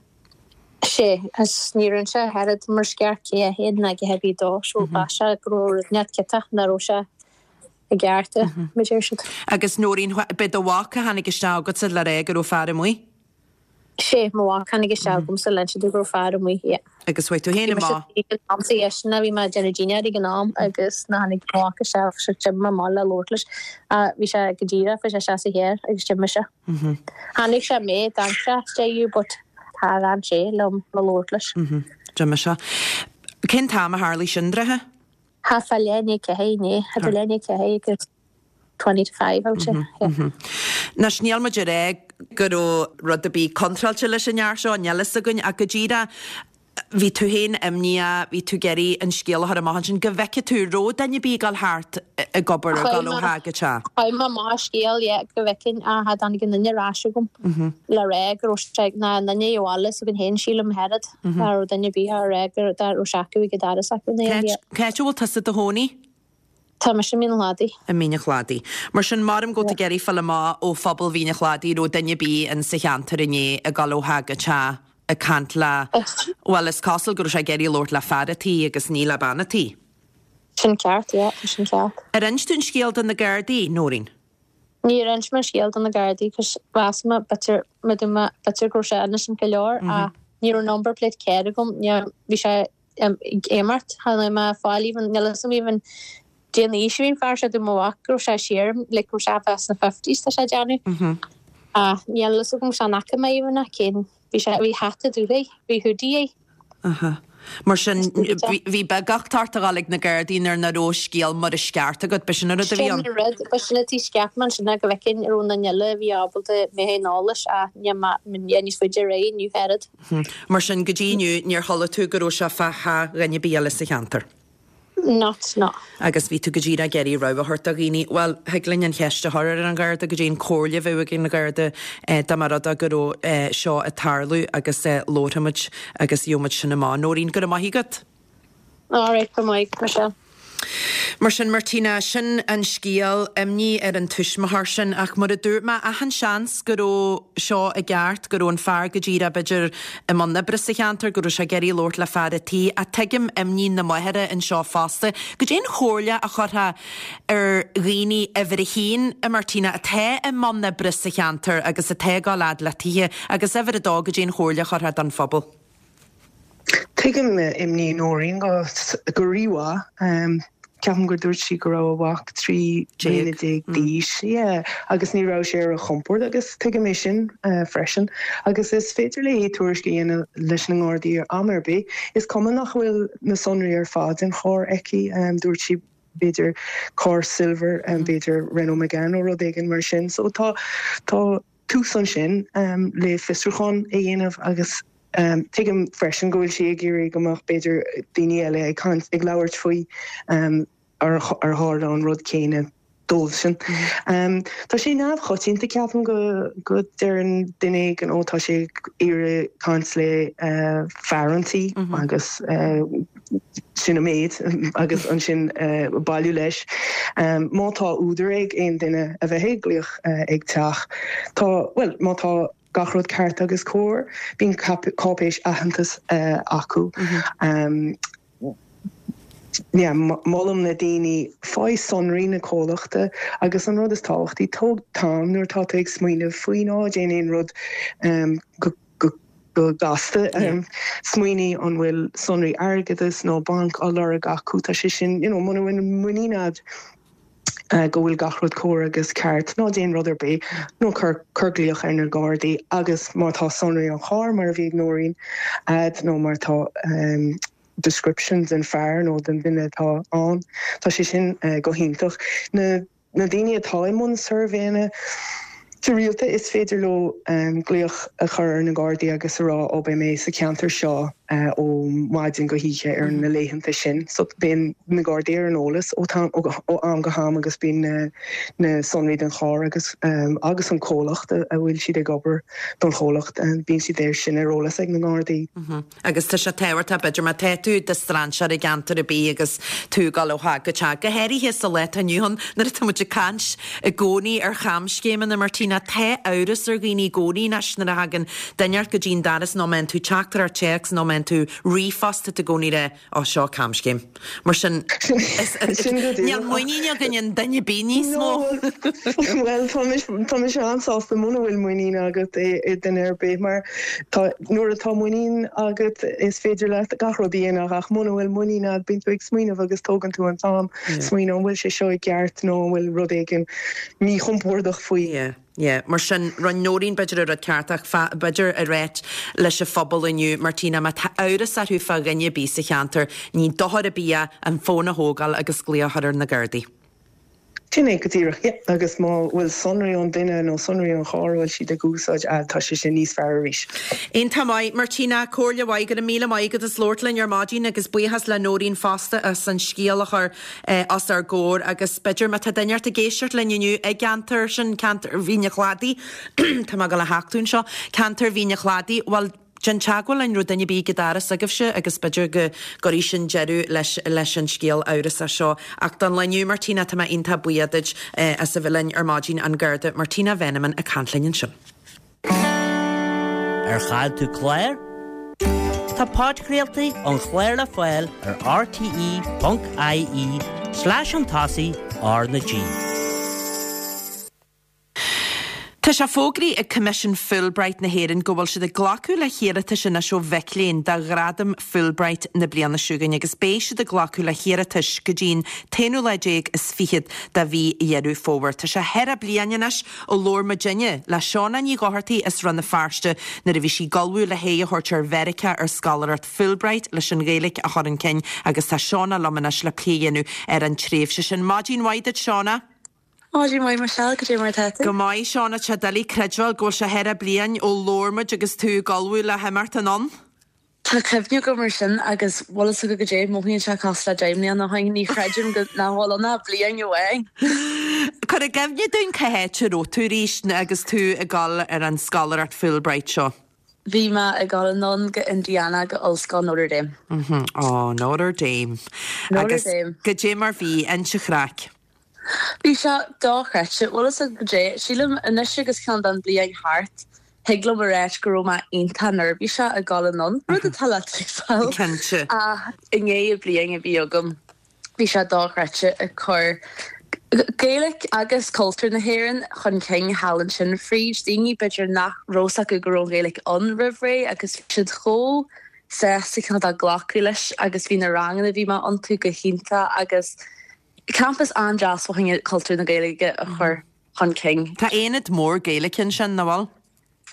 Sé, agus ní rinne sé a oiread mar sceach cé é féin ná a dhath ar bith dó, so mheas sé go raibh rud inteacht ciotach, nach raibh sé. I gceart, mar a deir siad. Agus Nóirín, b'é do mhac a tháinig isteach agatsa le rá go raibh fear amuigh? Sé, mo mhac tháinig isteach agamsa le inse domh go raibh fear amuigh, yeah. Agus chuaigh tú féin Bhí mise amach. ag an am sa dheiseanna, bhí mé ag déanamh dinnéar ag an am agus nuair tháinig mo mhac isteach, so d'imigh mé amach le labhairt leis. Bhí sé go díreach, bhí sé isteach sa charr agus d'imigh sé. Chonaic sé mé, d'amharc sé isteach but char fhan sé liom le labhairt leis. D'imigh sé. Cén t-am a tharlaigh sin, dráithe? Thart fá leath i ndiaidh a 4 inné, idir leath i ndiaidh a 4 agus 4:40 I would say, yeah. Anois, níl muid ag rá go raibh rud ar bith contráilte leis an fhear seo, níl fhios againn, ach go díreach, bhí tú féin imníoch, bhí tú ag iarraidh an scéal a chur amach ansin, go bhfeicfeadh tú, raibh duine ar bith ag dul thart ag obair, ag dul ó theach go teach. Chuir mé amach an scéal, yeah, go bhfeicfinn, ach cha dtáinig aon duine ar ais chugam le rá go raibh sé, ná aon duine a bhaile s'againn féin, sílim, oiread. Cha raibh duine ar bith á rá go raibh sé acu ag an doras acu nó Cá Cá háit a bhfuil tusa i do chónaí? Tá mise i Mín an Chladaigh. I Mín an Chladaigh. Mar sin, maram go bhfuil tú ag iarraidh fáil amach ó phobal Mhín an Chladaigh raibh duine ar bith in sa cheantar inné ag dul ó theach go teach ag caint le, bhuel, is cosúil go raibh sé ag iarraidh labhairt le fear a' tí agus ní le bean a' tí. Sin ceart, yeah, tá sin ceart. Ar inis tú an scéal do na Gardaí, Nóirín? Níor inis mé an scéal do na Gardaí cos mheas mé b'fhéidir mé dúinn mé b'fhéidir go raibh sé innocent go leor ach ní raibh number plate carr agam ní bhí sé ag imeacht chan fhuair mé fáil even níl fhios agam even cén aois a bhí an fear seo dúirt mo mhac go raibh sé siar like go raibh sé bheith sna fifties tá sé ag déanamh ach níl fhios agam chan fhaca mé even ach cén bhí sé bhí hata dubh air bhí hoodie air. Aha. Mar sin, bhí beagucht ort a dhul ag na Gardaí nuair nach raibh scéal mar is ceart agat, b'shin an rud a bhí ann? Sin an rud, b'shin an tuige cheap mé ansin go bhfeicfinn an raibh aon duine eile a bhí ábalta mé féin eolais ach níl mé níos faide ar aghaidh inniu oiread. Mar sin, go dtí inniu, níor chuala tú go raibh sé fá theach dhuine ar bith eile sa cheantar? Not, no. Agus bhí tú go díreach ag iarraidh rabhadh a thabhairt do dhaoine. Bhuel, thig linn an cheist a chur ar an Gharda, goidé an comhairle a bheadh ag an Gharda dá mba rud é go raibh seo ag tarlú agus labharfaimid agus gheobhaimid sin amach. Nóirín, go raibh maith agat. All right, go raibh maith agat, Michelle. Mar sin, Martina, sin an scéal, imní ar an tuismitheoir sin, ach mar a dúirt mé, achan seans go raibh seo i gceart, go raibh an fear go díreach, b'fhéidir, i mbun oibre sa cheantar, go raibh sé ag iarraidh labhairt le fear a' tí, ach tuigim imní na máthara anseo fosta. Goidé an chomhairle a chuirfeá ar dhaoine uimhir a haon, a Martina, atá i mbun oibre sa cheantar agus atá ag dul fhad le tithe, agus uimhir a dó, goidé an chomhairle a chuirfeá don phobal? Tuigim imní Nóirín go rímhaith. Ceapaim gur dúirt sí go raibh a mhac 13 bliana d'aois, yeah, agus ní raibh sé ar a chompord agus tuigim é sin freisin. Agus is féidir léi tuairisc a dhéanamh leis na nGardaí am ar bith. Is cuma nach bhfuil na sonraí ar fad den charr aici, dúirt sí b'fhéidir carr silver, b'fhéidir Renault Megane nó rud éigin mar sin. So tá, tá. tús ansin le fiosrúchán a dhéanamh agus tuigim freisin go bhfuil sí ag iarraidh go mbeadh b'fhéidir daoine eile ag caint, ag labhairt faoi ar tharla an rud céanna dóibhsean. Tá sé neamhchoitianta ceapaim go go deireann duine éigin ó tá sé ag iarraidh caint le fear an tí agus sin an méid agus ansin bailiú leis. Má tá údar ag aon duine a bheith ag glaoch ag teach, tá, bhuel, má tá gach rud ceart agus cóir, bíonn cáipéis aitheantais acu. Yeah, molaim na daoine, faigh sonraí na comhlachta agus an rud is tábhachtaí, tóg t-am nuair atá tú ag smaoineamh faoi, ná déan aon rud go go gasta. Smaoinigh an bhfuil sonraí airgeadais nó banc á lorg acu. Tá sé sin, you know, muna bhfuil muinín agat go bhfuil gach rud cóir agus ceart, ná déan rud ar bith, nó cuir, cuir glaoch ar na Gardaí agus má tá sonraí an chairr, mar a bhí ag Nóirín, a'd nó má tá description den fear nó den duine atá ann, tá sé sin go hiontach. Na. Na daoine atá i mbun suirbhéanna go rialta, is féidir leo glaoch a chur ar na Gardaí agus a rá ó beidh mé sa cheantar seo ó mhaidin go hoíche ar na laethanta sin. So bíonn na Gardaí ar an eolas ó am go ham agus bíonn na sonraí den charr agus agus an comhlacht a bhfuil siad ag obair don chomhlacht, bíonn siad air sin ar eolas ag na Gardaí. Agus tá sé tábhachtach, b'fhéidir, má tá tú i do strainséir i gceantar ar bith agus tú ag dul ó theach go teach, go háirithe sa lá atá inniu ann nuair atá muid ag caint i gcónaí ar chamscéimeanna, Martina, tá amhras ar dhaoine i gcónaí anois nuair a thagann duine ort go dtí an doras nó má fhaigheann tú teachtaireacht téacs nó má. fhaigheann tú ríomhphost tá tú i gcónaí ag rá, Ó, seo camscéim. Mar sin, níl muinín againn i nduine ar bith níos mó. Bhuel, tá mise an-sásta muna bhfuil muinín agat i nduine ar bith, mar tá, nuair atá muinín agat is féidir leat gach rud a dhéanamh ach muna bhfuil muinín agat bíonn tú ag smaoineamh agus tógann tú an t-am smaoineamh an bhfuil sé seo i gceart nó an bhfuil rud éigin míchompordach faoi. Yeah, mar sin, rinne Nóirín b'fhéidir an rud ceart ach b'fhéidir a ráit leis an phobal inniu, Martina, má tá amhras orthu fá dhuine ar bith sa cheantar, ní dochar ar bith é an fón a thógáil agus glaoch a chur ar na Gardaí. Sin é go díreach, yeah, agus má bhfuil sonraí an duine nó sonraí an chairr a bhfuil siad ag úsáid a'd, tá sé sin níos fearr arís. Iontach maith, Martina, comhairle mhaith, go raibh míle maith agat as labhairt linn ar maidin agus buíochas le Nóirín fosta as an scéal a chur os ár gcomhair agus b'fhéidir má tá duine ort ag éisteacht linn inniu i gceantar sin, ceantar Mhín an Chladaigh, tá mé ag dul a thachtadh anseo, ceantar Mhín an Chladaigh, bhuel, déan teagmháil linn, raibh duine ar bith ag an doras agaibhse agus b'fhéidir go gcuirfidh sin deireadh leis leis an scéal amhrasach seo. Ach don lá inniu, Martina, tá mé iontach buíoch duit as a bheith linn ar maidin, an Garda Martina Veneman ag caint linn ansin. Ar chaill tú clár? Tá podchraoltaí an chláir le fáil ar rte.ie slash chun tosaigh R na G. Tá sé fógraithe ag Coimisiún Fulbright na hÉireann go bhfuil siad ag glacadh le hiarratais anois ó mhic léinn do Ghradam Fulbright na bliana seo chugainn agus beidh siad ag glacadh le hiarratais go dtí an t-aonú lá déag is fichead de mhí Dheireadh Fómhair. Tá sé thar bliain anois ó labhair muidinne le Shauna Ní Dhochartaigh as Rann na Feirste nuair a bhí sí ag ullmhú le haghaidh a thabhairt ar Mheiriceá ar scoláireacht Fulbright leis an Ghaeilge a chur chun cinn agus tá Shauna liom anois le plé a dhéanamh ar an tréimhse sin. Maidin mhaith duit Shauna. Maidin mhaith Michelle, cad é mar atá tú? Go maith Shauna, tá sé doiligh creidbheáil go bhfuil sé thar bliain ó labhair muid agus tú ag ullmhú le himeacht anonn. Tá cuimhne agam ar sin agus bhfuil fhios agat goidé, mothaíonn sé cosúil le 10 mbliana ó shin, ní chreidim go nach bhfuil ann ach bliain amháin. Cuir i gcuimhne dúinn cá háit a raibh tú arís agus tú ag dul ar an scoláireacht Fulbright seo. Bhí mé ag dul anonn go Indiana go Ollscoil Notre Dame. Ó, Notre Dame. Notre Agus Dame. goidé mar bhí, inis an chraic. Bhí sé dochreidte. Bhfuil fhios agat goidé, sílim anois agus cineál den bliain thart, thig liom a ráit go raibh mé iontach neirbhíseach ag dul anonn, rud atá le tuigbheáil. Cinnte. Ach i ndiaidh an bliain a bhí agam, bhí sé dochreidte ag cur Gaeilge agus cultúr na hÉireann chun cinn thall ansin fríd daoine b'fhéidir nach raibh fhios acu go raibh an Ghaeilge ann roimh ré agus bhí siad chomh sásta cineál de glacadh leis agus bhí na ranganna a bhí mé iontu go hiontach agus Campas an-deas fá choinne cultúr na Gaeilge a chur chun cinn. Tá aonad mór Gaeilge ansin, nach bhfuil?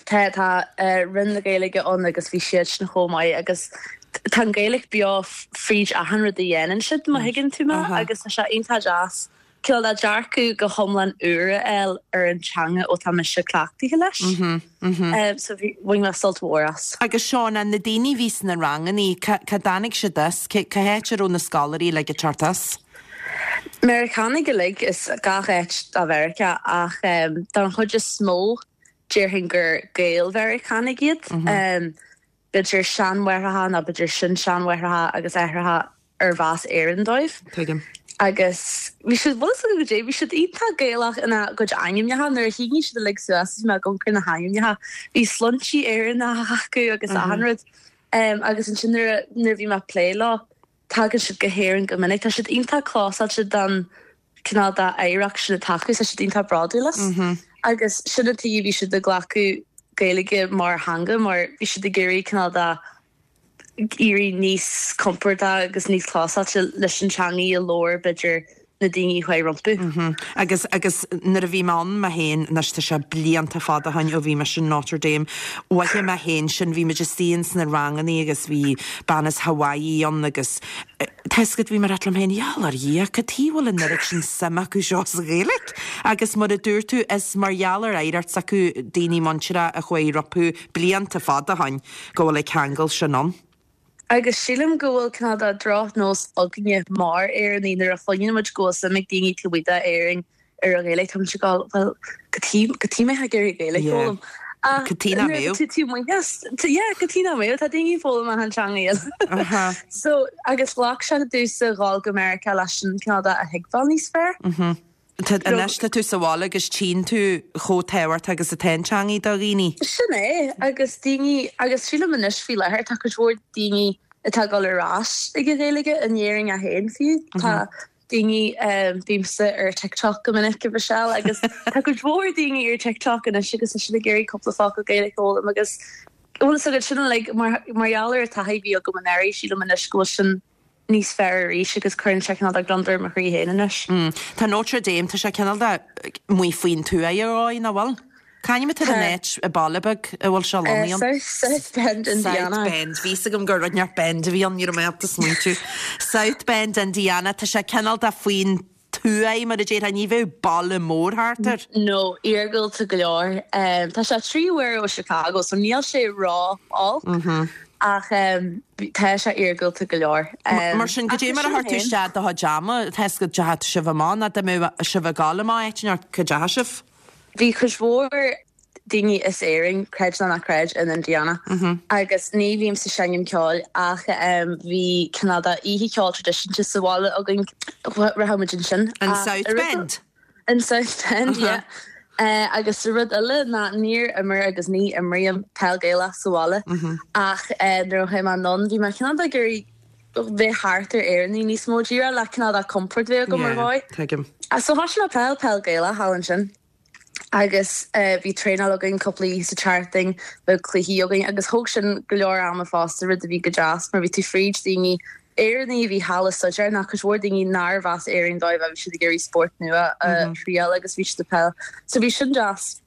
Tá, tá Roinn na Gaeilge ann agus bhí siad sin chomh maith agus tá an Ghaeilge beo fríd achan rud a dhéanann siad, má thuigeann tú mé, agus tá sé iontach deas cineál de dearcadh go hiomlán úr a fháil ar an teanga ó tá mise cleachtaithe leis. So bhí, bhain mé sult mhór as. Agus Shauna, na daoine a bhí sna rangannaí, cá dtáinig siad as? Cá háit a raibh na scoláirí uilig ag teacht as? Meiriceánaigh uilig as gach áit de Mheiriceá ach don chuid is mó déarfainn gur Gael-Mheiriceánaigh iad. B'fhéidir seanmháithreacha nó b'fhéidir sin-seanmháithreacha agus aithreacha arbh as Éirinn dóibh. Tuigim. Agus bhí siad, bhfuil fhios agat goidé, bhí siad iontach Gaelach ina gcuid ainmneacha. Nuair a shínigh siad uilig suas is bhí mé ag amharc ar na hainmneacha, bhí sloinntí Éireannacha acu agus achan rud. Agus ansin nuair a, nuair a bhí mé ag plé leo, tagann siad go hÉirinn go minic. Tá siad iontach clósáilte don cineál de oidhreacht sin atá acu, tá siad iontach bródúil as. Agus sin an tuige a bhí siad ag glacadh Gaeilge mar theanga, mar bhí siad ag iarraidh cineál de éirí níos compordach agus níos clósáilte leis an teangaidh a labhair, b'fhéidir, na daoine a chuaigh rompu. Agus, agus nuair a bhí mé ann mé féin, anois tá sé blianta fada ó shin ó bhí mise in Notre Dame, mhothaigh mé féin sin, bhí muid istigh ins na rangannaí agus bhí bean as Hawaii ann agus tá fhios agat, bhí mé ag rá liom féin, gheall ar Dhia, cad chuige a bhfuil an oiread sin suim acu seo sa Ghaeilge? Agus mar a dúirt tú, is mar gheall ar oidhreacht s'acu daoine muinteartha a chuaigh rompu blianta fada ó shin. go bhfuil an ceangal sin ann. Agus sílim go bhfuil cineál de drochnós againne mar Éireannaigh nuair a chluineann muid go bhfuil suim ag daoine taobh amuigh d'Éirinn ar an Ghaeilge, tá muid ag dul, bhuel, cad chuige, cad chuige mbeifeá ag iarraidh Gaeilge a Yeah. fhoghlaim? Ach Cad chuige nach nuair mbeadh? atá tú taobh amuigh as, yeah, cad chuige nach mbeadh? Tá daoine ag foghlaim achan teanga eile. Uh-huh. So, agus ghlac sé domhsa dhul go Meiriceá leis sin cineál de a thuigbheáil níos fearr. Mhm. Tá, anois tá tú sa bhaile agus tchíonn tú chomh tábhachtach agus atá an teangaidh do dhaoine. Sin é, agus daoine, agus sílim anois faoi láthair tá cuid mhór daoine atá ag dul ar ais ag an Ghaeilge, in Éirinn é féin fiú. Tá daoine, bímse ar TikTok go minic, a Mhichelle, agus tá cuid mhór daoine ar TikTok anois agus tá siad ag iarraidh cúpla focal Gaeilge a fhoghlaim agus bhfuil fhios agat sin uilig mar gheall ar an taithí a bhí agam anuraidh, sílim anois go bhfuil sin níos fearr arís agus cuireann sé cineál de gliondar ar mo chroí féin anois. Tá Notre Dame, tá sé cineál de amuigh faoin tuath ar dhóigh, nach bhfuil? C'ainm atá ar an áit, an baile beag a bhfuil sé lonnaithe ann? South Bend, Indiana. South Bend, bhí fhios agam gur rud inteacht Bend a bhí ann, ní raibh mé ábalta smaointiú. South Bend, Indiana, tá sé cineál de faoin tuath, mar a déarfá, ní bheadh baile mór thart air. No, iargúlta go leor. Tá sé 3 uair ó Chicago, so níl sé ró-olc, ach tá sé iargúlta go leor. Mar sin, goidé mar a chuir tú isteach do chuid ama, tá fhios agat deachaigh sibh amach, nó dá mbeadh sibh ag gabháil amach áit inteacht, cá dteachaigh sibh? Bhí cuid mhór daoine as Éirinn, creid nó ná creid, in Indiana agus ní bhímse ag seinm ceoil ach bhí cineál de oíche cheoil traidisiúnta sa bhaile againn, rachadh muid ansin. In South Bend? In South Bend, yeah. Agus rud eile ná níor imir agus ní imrím peil Gaelach sa bhaile ach nuair a chuaigh mé anonn bhí mé cineál de ag iarraidh bheith thart ar Éireannaigh níos mó díreach le cineál de compord a bheith agam ar dhóigh. Yeah, tuigim. So thosaigh mé peil, peil Gaelach thall ansin. Agus bhí traenáil againn cúpla oíche sa tseachtain, bheadh cluichí againn agus thóg sin go leor ama fosta, rud a bhí go deas mar bhí tú fríd daoine Éireannaigh a bhí thall ag staidéar nó cuid mhór daoine nárbh as Éirinn dóibh bhí siad ag iarraidh spórt nua a thriail agus bhí siad ag peil. So bhí sin deas.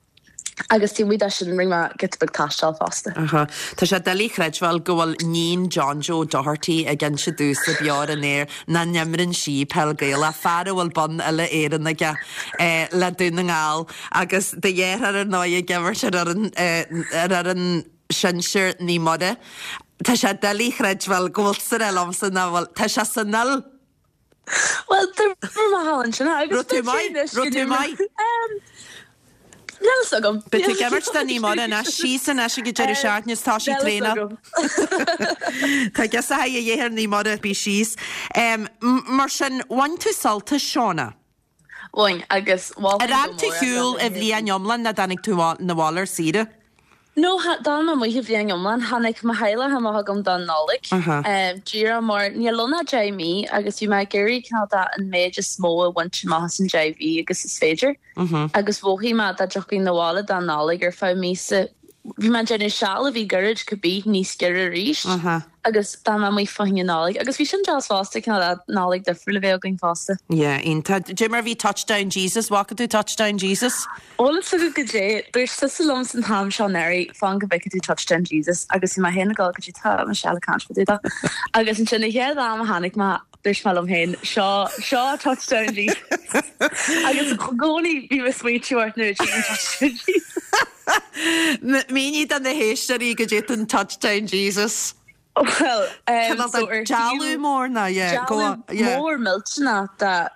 Agus taobh amuigh de sin rinne mé giota beag taistil fosta. Aha. Tá sé doiligh a chreidbheáil go bhfuil níon John Joe Doherty ag inse domhsa beo ar an aer nach n-imreann sí peil Gaelach, fear a bhfuil bonn uile Éireann aige le Dún na nGall agus do dheartháir ar ndóigh ag imirt ar fhoireann ar fhoireann sinsir Naomh Muire. Tá sé doiligh a chreidbheáil go bhfuil tusa ag rá liomsa nach bhfuil. Tá sé san fhuil! Bhuel, d'imir mé thall ansin agus Raibh tú maith? Raibh tú maith? Níl fhios agam. Beidh tú ag imirt do Naomh Muire anois, síos anois ag an deireadh seachtaine is tá sí ag traenáil. Tá a fhios a dheartháir Naomh Muire, bí síos. Mar sin, bhain tú sult as Shauna? Bhain, agus mholfainn Ar fhan tú thall an bhliain iomlán nó dtáinig tú 'na bhaile ar saoire? No, d'fhan mé amuigh an bhliain iomlán. Tháinig mo theaghlach amach chugam don Nollaig. Díreach mar níl ann ach 10 mí agus bhí mé ag iarraidh cineál de an méid is mó a bhaint amach as an 10 mhí agus is féidir. Agus mhothaigh mé dá dtiocfainn 'na bhaile don Nollaig ar feadh míosa, bhí mé ag déanamh seal a bhí gairid cibé níos giorra arís. Agus d'fhan mé amuigh fá choinne Nollaig. Agus bhí sin deas fosta, cineál de Nollaig difriúil a bheith againn fosta. Yeah, iontach. Dé mar bhí Touchdown Jesus, bhfaca tú Touchdown Jesus? Bhfuil fhios agat goidé, dúirt tusa liom san t-am seo anuraidh, fan go bhfeicfidh tú Touchdown Jesus agus bhí mé féin ag dul goidé tá Michelle ag caint fá dtaobh de. Agus ansin an chéad am a tháinig mé, dúirt mé liom féin, seo, seo Touchdown Jesus. Agus i gcónaí bím ag smaointiú ort nuair a tchím Touchdown Jesus. Mínigh do na héisteoirí goidé an Touchdown Jesus. Bhuel, Cineál de dealbh mór ná, yeah, go on, yeah. Dealbh mór millteanach de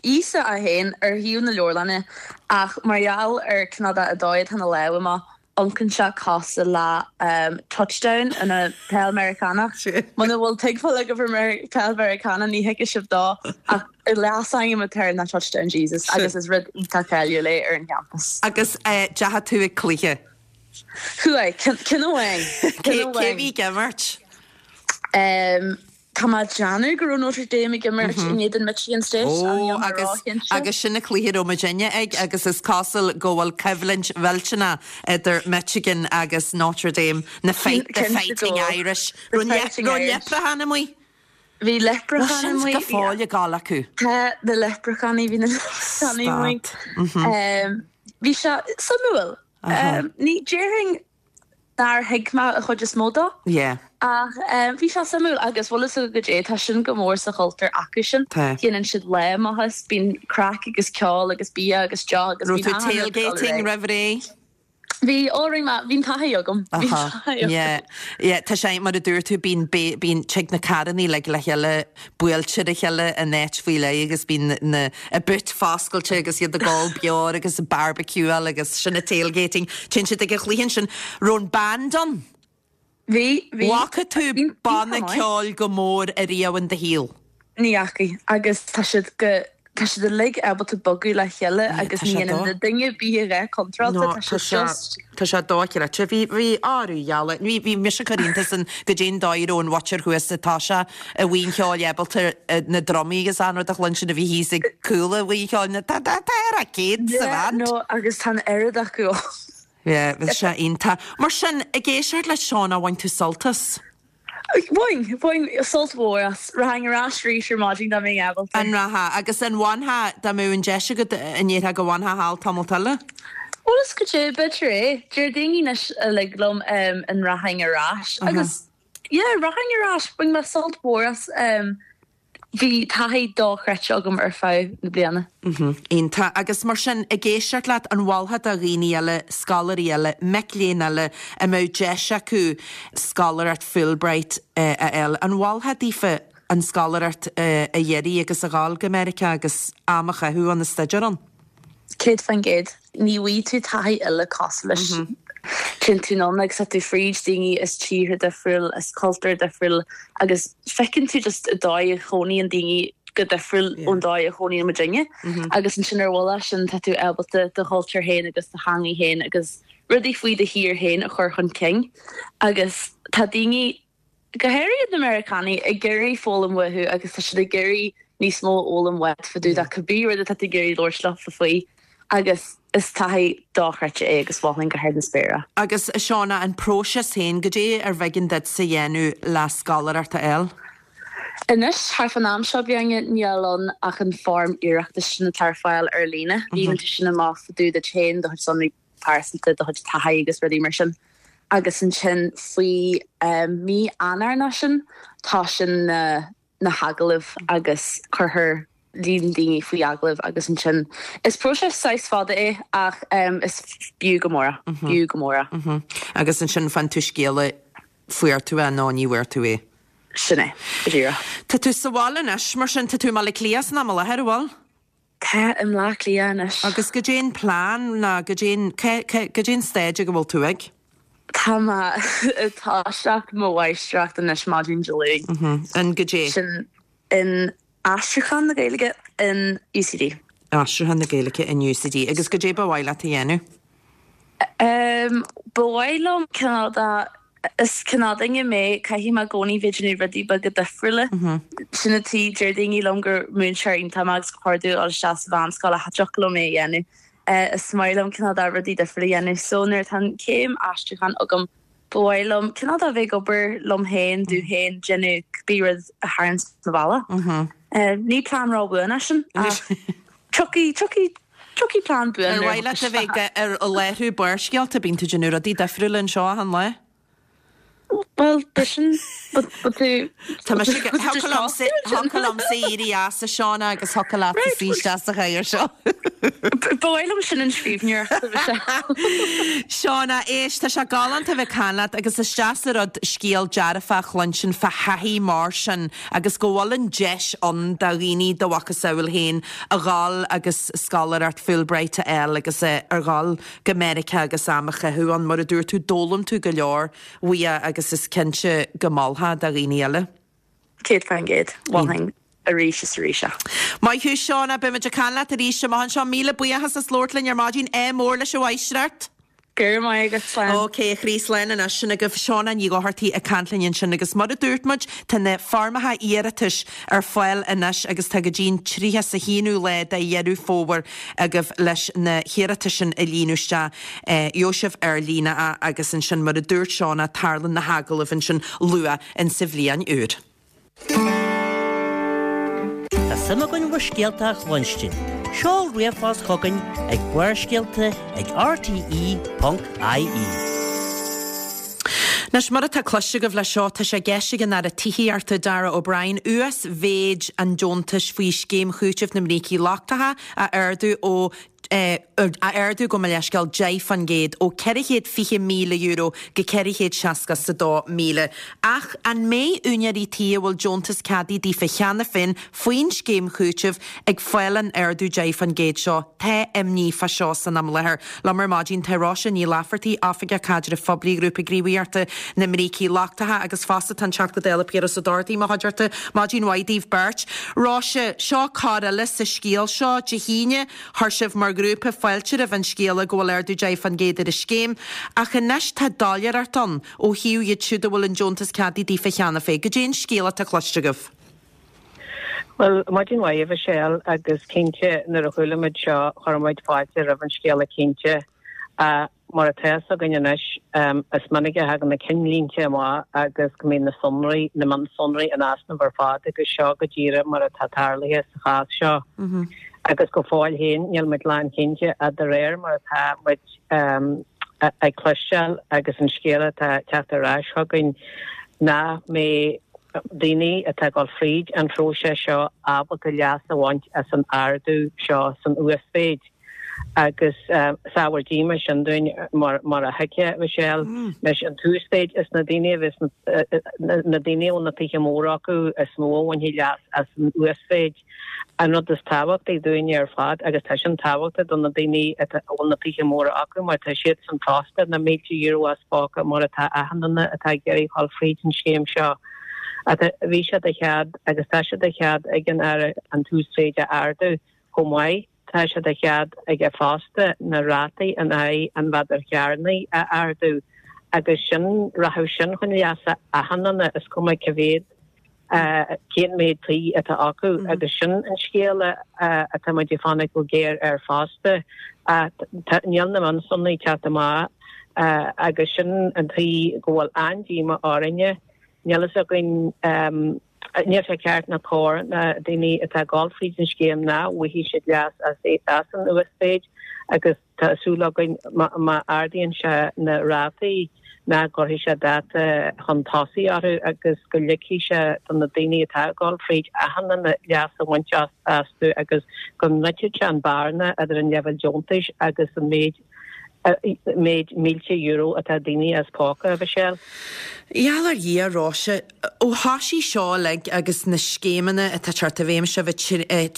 Íosa é féin ar thaobh na leabharlainne ach mar gheall ar cineál de an dóigh atá na lámha amach, amharcann sé cosúil le touchdown ina peil Meiriceánach. Muna bhfuil tuigbheáil agaibh ar peil Mheiriceánach ní thuigfidh sibh dó ach Leasainm atá air ná Touchdown Jesus agus is rud iontach cáiliúil é ar an champas. Agus deachaigh tú ag cluiche? Chuaigh, ceann amháin. Cé a bhí ag imirt? Tá mé ag déanamh go raibh Notre Dame ag imirt in éadan Michigan State. Ó, agus agus sin an cluiche a raibh muidinne ag agus is cosúil go bhfuil coimhlint mhillteanach idir Michigan agus Notre Dame, na Fighting Irish. Raibh leipreachán amuigh? Bhí leipreacháin amuigh. Bhfuil sin go fóill ag gabháil acu? Tá na leipreacháin, bhí na leipreacháin amuigh. Bhí sé suimiúil. Ní déarfainn nár thuig mé an chuid is mó dó. Ach bhí sé suimiúil agus bhfuil fhios agat goidé, tá sin go mór sa chultúr acu sin. Déanann siad lá amach as, bíonn craic agus ceol agus bia agus deoch agus Raibh tú tailgating roimh ré? Bhí, ó rinne mé, bhí an taithí agam. Bhí an taithí agam. Yeah, yeah, tá sé, mar a dúirt tú, bíonn, bíonn, tig na carrannaí uilig le chéile, buailte ar a chéile in áit faoi leith agus bíonn na, a boot foscailte agus iad ag ól beoir agus ag barbecueáil agus sin an tailgating. Téann siad ag an chluiche ansin. Raibh an band ann? Bhí, bhí. Bhfaca tú banna ceoil chomh mór ariamh in do shaol? Ní fhacaidh, agus tá siad go. Tá siad uilig ábalta bogadh le chéile agus ní dhéanann duine ar bith a dhath contráilte, tá siad just. Tá sé dochreidte. Bhí, bhí, arú gheala, bhí, bhí mise ag cur iontas an goidé an dóigh a raibh an mhuintir thuas sa taoiseach i mBuíon Cheoil ábalta na drumaí agus an rud a chluinstin a bhí thíos ag cúl an Bhuíon Cheoil, na, tá, tá, tá ar a céad sa bhand. Yeah, no, agus tá an oiread acu ann. Yeah, bhí sé iontach. Mar sin, ag éisteacht le Shauna, bhain tú sult as? Bhain, bhain sult mhór as. Rachainn ar ais arís ar maidin dá mbeinn ábalta. An rachfá? Agus an bhainfeá, dá mbeadh an deis agat, an ndéarfá go bhfanfá thall tamalt eile? Bhuel is goidé, b'fhéidir é. Deir daoine anois uilig liom an rachainn ar ais agus yeah, rachainn ar ais. Bhain mé sult mhór as. Bhí taithí dochreidte agam ar feadh na bliana. Iontach. Agus mar sin, ag éisteacht leat, an mholfá do dhaoine eile, scoláirí eile, mic léinn eile a mbeadh deis acu scoláireacht Fulbright a fháil, an mholfá daofa an scoláireacht a iarraidh agus a ghabháil go Meiriceá agus am a chaitheamh ann, ag staidéar ann? 100%. Ní bhfaighidh tú taithí eile cosúil leis. Téann tú anonn agus tá tú fríd daoine as tíortha difriúil, as cultúir difriúil agus feiceann tú just an dóigh a chónaíonn daoine go difriúil ón dóigh a chónaíonn muidinne. Agus ansin ar bhuille sin tá tú ábalta do chultúr féin agus do theangaidh féin agus rudaí faoi do thír féin a chur chun cinn. Agus tá daoine go háirithe na Meiriceánaigh, ag iarraidh foghlaim uathu agus tá siad ag iarraidh níos mó a fhoghlaim uait fá dtaobh de cibé rud atá tú ag iarraidh labhairt leofa faoi agus is taithí dochreidte é agus mholfainn go hard na spéire. Agus a Shauna, an próiseas féin, goidé ar bh'éigean duitse a dhéanamh le scoláireacht a fháil? Anois, thart fán am seo bliana, níl ann ach an foirm iarratais sin atá ar fáil ar líne. Líonann tú sin amach fá dtaobh duit féin, do chuid sonraí pearsanta, do chuid taithí agus rudaí mar sin. Agus ansin faoi mí Eanáir nó sin, tosaíonn na na hagallaimh agus cuirtear líon daoine faoi agallamh agus ansin is próiseas saghas fada é ach is b'fhiú go mór é, b'fhiú go mór é. Agus ansin faigheann tú scéala fuair tú é nó ní bhfuair tú é. Sin é, go díreach. Tá tú sa bhaile anois, mar sin, tá tú i mBaile Átha Cliath san am i láthair, an bhfuil? Tá, i mBleá Cliath anois. Agus goidé an plean ná goidé an, goidé an stáid ag a bhfuil tú ag? Tá mé ag toiseacht mo mháistreacht anois maidin Dé Luain. In goidé? Sin in Aistriúchán na Gaeilge in UCD. Aistriúchán na Gaeilge in UCD. Agus goidé ba mhaith leat a dhéanamh? Ba mhaith liom cineál de, is cineál duine mé, caithfidh mé i gcónaí bheith ag déanamh rudaí beaga difriúla. Sin an tuige, deir daoine liom gur múinteoir iontach mé agus gur chóir domh dul isteach sa mheánscoil ach cha dtiocfadh liom é a dhéanamh. Is maith liom cineál de rudaí difriúla a dhéanamh. So nuair atá an céim aistriúcháin agam, ba mhaith liom cineál de bheith ag obair liom féin, domh féin, déanamh cibé rud a tharraingt mo bhealach. Ní plean ró-bhuan é sin ach tiocfaidh, tiocfaidh, tiocfaidh plean buan Ar mhaith leat a bheith ag láithriú Barrscéalta, bíonn tú ag déanamh rudaí difriúla anseo achan lá. Bhuel, b'shin, but tú... Tá mise ag, thiocfadh liomsa, thiocfadh liomsa éirí as a Shauna agus thiocfadh leat suí isteach sa chathaoir seo. Ba mhaith liom sin an scríbhneoireacht a Mhichelle. Shauna, éist, tá sé galánta a bheith ag caint leat agus is deas an rud scéal dearfach a chluinstin fá thaithí mar sin agus go bhfuil an deis ann do dhaoine do mhacasamhail féin a dhul agus scoláireacht Fulbright a fháil agus a dhul go Meiriceá agus am a chaitheamh ann. Mar a dúirt tú, d'fhoghlaim tú go leor uaidh agus is cinnte go molfá do dhaoine eile. 100%. Mholfainn arís is arís é. Maith thú Shauna, beimid ag caint leat arís amach anseo. Míle buíochas as labhairt linn ar maidin. Ádh mór leis an mháistreacht. Go raibh maith agat, slán. Ok, a chroí, slán anois. Sin agaibh Shauna Ní Dhochartaigh ag caint linn ansin agus mar a dúirt muid, tá na foirmeacha iarratais ar fáil anois agus tá go dtí an 31ú lá de Dheireadh Fómhair agaibh leis na hiarratais sin a líonadh isteach. Gheobhaidh sibh ar líne é agus ansin mar a dúirt Shauna, tarlaíonn na hagallaimh ansin luath insa bhliain úr. Tá suim againn bhur scéalta a chluinstin. Seol ríomhphost chugainn ag barrscéalta ag rte.ie. Anois, mar atá cloiste agaibh leis seo, tá sé i gceist ag an Aire Tithíochta, Darragh O'Brien, uasmhéid an deontais faoi Scéim Chúitimh na mBrící Lochtacha a ardú ó. A ardú, gabh mo leithscéal, 10% ó €420,000 go €462,000. Ach an mbeidh úinéirí tí a bhfuil deontas ceadaithe daofa cheana féin faoin scéim chúitimh ag fáil an ardú 10% seo? Tá imní fá seo san am i láthair. Liom ar maidin tá Róise Ní Laifeartaigh, Oifigeach Caidrimh Phoiblí Ghrúpa Gníomhaíochta na mBrící Lochtacha agus fosta tá an Teachta Dála Piaras Ó Dochartaigh i mo chuideachta. Maidin mhaith daoibh beirt. Róise, seo cor eile sa scéal seo. Dé hAoine, Chuir sibh mar ghrúpa fáilte roimh an scéala go bhfuil ardú 10% ar an scéim, ach anois tá doiléireacht ann ó thaobh iad siúd a bhfuil an deontas ceadaithe daofa cheana féin. Goidé an scéal atá cloiste agaibh? Bhuel, maidin mhaith, a Mhichelle, agus cinnte nuair a chuala muid seo chuir muid fáilte roimh an scéala cinnte. Ach mar atá fhios againn anois, is minic a thagann na cinnlínte amach agus go mbíonn na sonraí, na mionsonraí in easnamh ar fad agus seo go díreach mar atá tarlaithe sa chás seo. Agus go fóill féin níl muid lánchinnte ach de réir mar atá muid ag cloisteáil agus an scéal atá ag teacht ar ais chugainn nach mbeidh daoine atá ag dul fríd an phróiseas seo ábalta leas a bhaint as an ardú seo san uasmhéid. Agus is ábhar díomá sin dúinn, mar a thuigfeá, Michelle. Anois, an t-uasmhéid, is na daoine a bheas, na daoine a bhfuil na tithe móra acu is mó a bhainfidh leas as an uasmhéid. An rud is tábhachtaí dúinne ar fad, agus tá sin tábhachtach do na daoine a bhfuil na tithe móra acu, mar tá siadsan fosta na mílte euro as póca, mar atá achan duine atá ag iarraidh dhul fríd an scéim seo. Bhí sé de chead, agus tá sé de chead ag an Aire an t-uasmhéid a ardú chomh maith. Tá sé de chead aige fosta na rátaí in aghaidh an mhéadair chearnaigh a ardú agus sin, rachadh sin chun leasa achan duine, is cuma cá mhéad, cén méid tí atá acu agus sin an scéal atá muid ag fanacht go géar air fosta. Níl na mionsonraí ag teacht amach agus sin an tuige go bhfuil an-díomá orainne. Níl fhios againn. Níl sé ceart ná cóir na daoine atá ag dul fríd an scéim nach bhfaighidh siad leas as an uasmhéid agus tá súil againn má ardaíonn sé na rátaí nach gcuirfidh sé dáta chun tosaigh orthu agus go ligfidh sé do na daoine atá ag dul fríd achan duine leas a bhaint astu agus go ndruidfidh sé an bearna idir an leibhéal deontais agus an méid méid mílte euro atá daoine as póca, a Mhichelle. Gheall ar Dhia, Róise, ó thoisigh seo uilig agus na scéimeanna atá ag teacht i bhfeidhm, sibh ag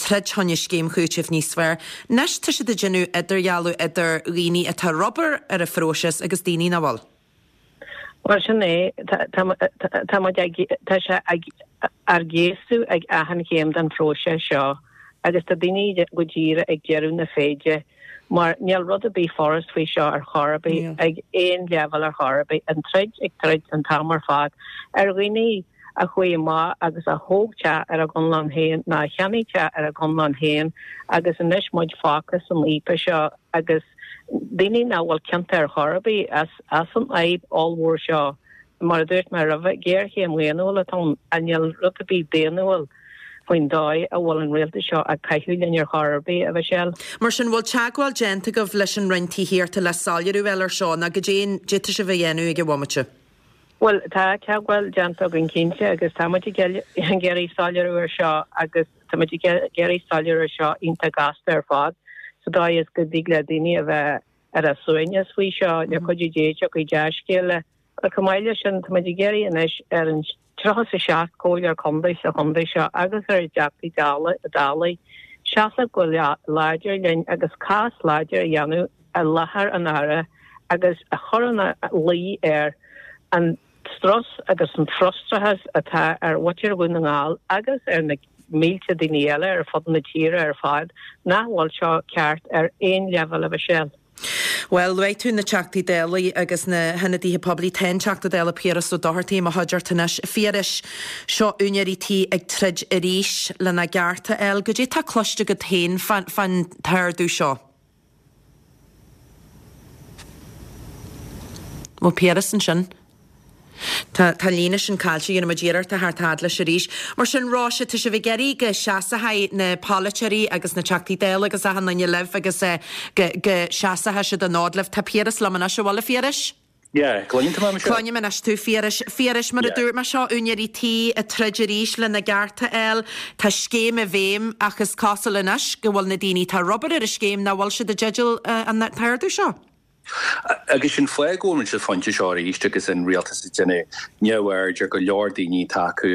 troid fá choinne scéim chúitimh níos fearr, anois tá siad ag déanamh idirdhealú idir dhaoine atá ar obair ar an phróiseas agus daoine nach bhfuil. Bhuel, sin é. Tá muid ag, tá sé ár gcéasadh ag achan chéim den phróiseas seo agus tá daoine go díreach ag deireadh na féide mar níl rud ar bith furast faoi seo ar chor ar bith, ag aon leibhéal ar chor ar bith. An troid ag troid an t-am ar fad ar dhaoine a chuaigh amach agus a thóg teach ar a gconlán féin nó a cheannaigh teach ar a gconlán féin agus anois muid fágtha san fhaopa seo agus daoine nach bhfuil ciontach ar chor ar bith as an fhadhb ollmhór seo. Mar a dúirt mé roimhe, géarchéim dhaonnúil atá ann ach níl rud ar bith daonnúil faoin dóigh a bhfuil an rialtas seo ag caitheamh linn ar chor ar bith, a Mhichelle. Mar sin, bhfuil teagmháil déanta agaibh leis an Roinn Tithíochta le soiléiriú a fháil ar seo nó goidé tá sibh a dhéanamh ag an bhomaite? Bhuel, tá teagmháil déanta againn cinnte agus tá muid ag iarraidh soiléiriú ar seo agus tá muid ag iarraidh soiléiriú ar seo iontach gasta ar fad sa dóigh is go dtig le daoine a bheith ar a suaimhneas faoi seo, le cuidiú Dé tiocfaidh dea-scéala. Ach chomh maith leis sin, tá muid ag iarraidh anois ar an 37 comhairleoir contae sa chontae seo agus ar a dTeachtaí Dála seasamh go láidir linn agus cás láidir a dhéanamh i láthair an Aire agus a chur ina luí air an strus agus an frustrachas atá ar mhuintir Dhún na nGall agus ar na mílte daoine eile ar fud na tíre ar fad nach bhfuil seo ceart ar aon leibhéal, a Mhichelle. Bhuel, luaigh tú na Teachtaí Dála agus na hionadaithe poiblí. Tá an Teachta Dála Piaras Ó Dochartaigh i mo chuideachta anois. A Phiarais, seo úinéirí tí ag troid arís lena gcearta a fháil. Goidé tá cloiste agat féin fán t-ardú seo? Bhfuil Piaras ansin? Tá tá an líne sin caillte, dhéanfaidh muid iarracht a theacht fhad leis arís. Mar sin, Róise, tá sibh ag iarraidh go seasfaidh na polaiteoirí agus na Teachtaí Dála agus achan duine libh agus go go seasfaidh siad an fhód libh. Tá Piaras liom anois, an bhfuil a Phiarais? Yeah, cluineann tú mé, Michelle? Cluinim anois tú, Phiarais. Phiarais, mar a dúirt mé, seo úinéirí tí ag troid arís lena gcearta a fháil. Tá scéim i bhfeidhm ach is cosúil anois go bhfuil na daoine atá ar obair ar an scéim nach bhfuil siad i dteideal an t-ardú seo. Agus sin fáth go bhfuil muid sa phointe seo arís agus an rialtas ag déanamh neamhaird ar go leor daoine atá acu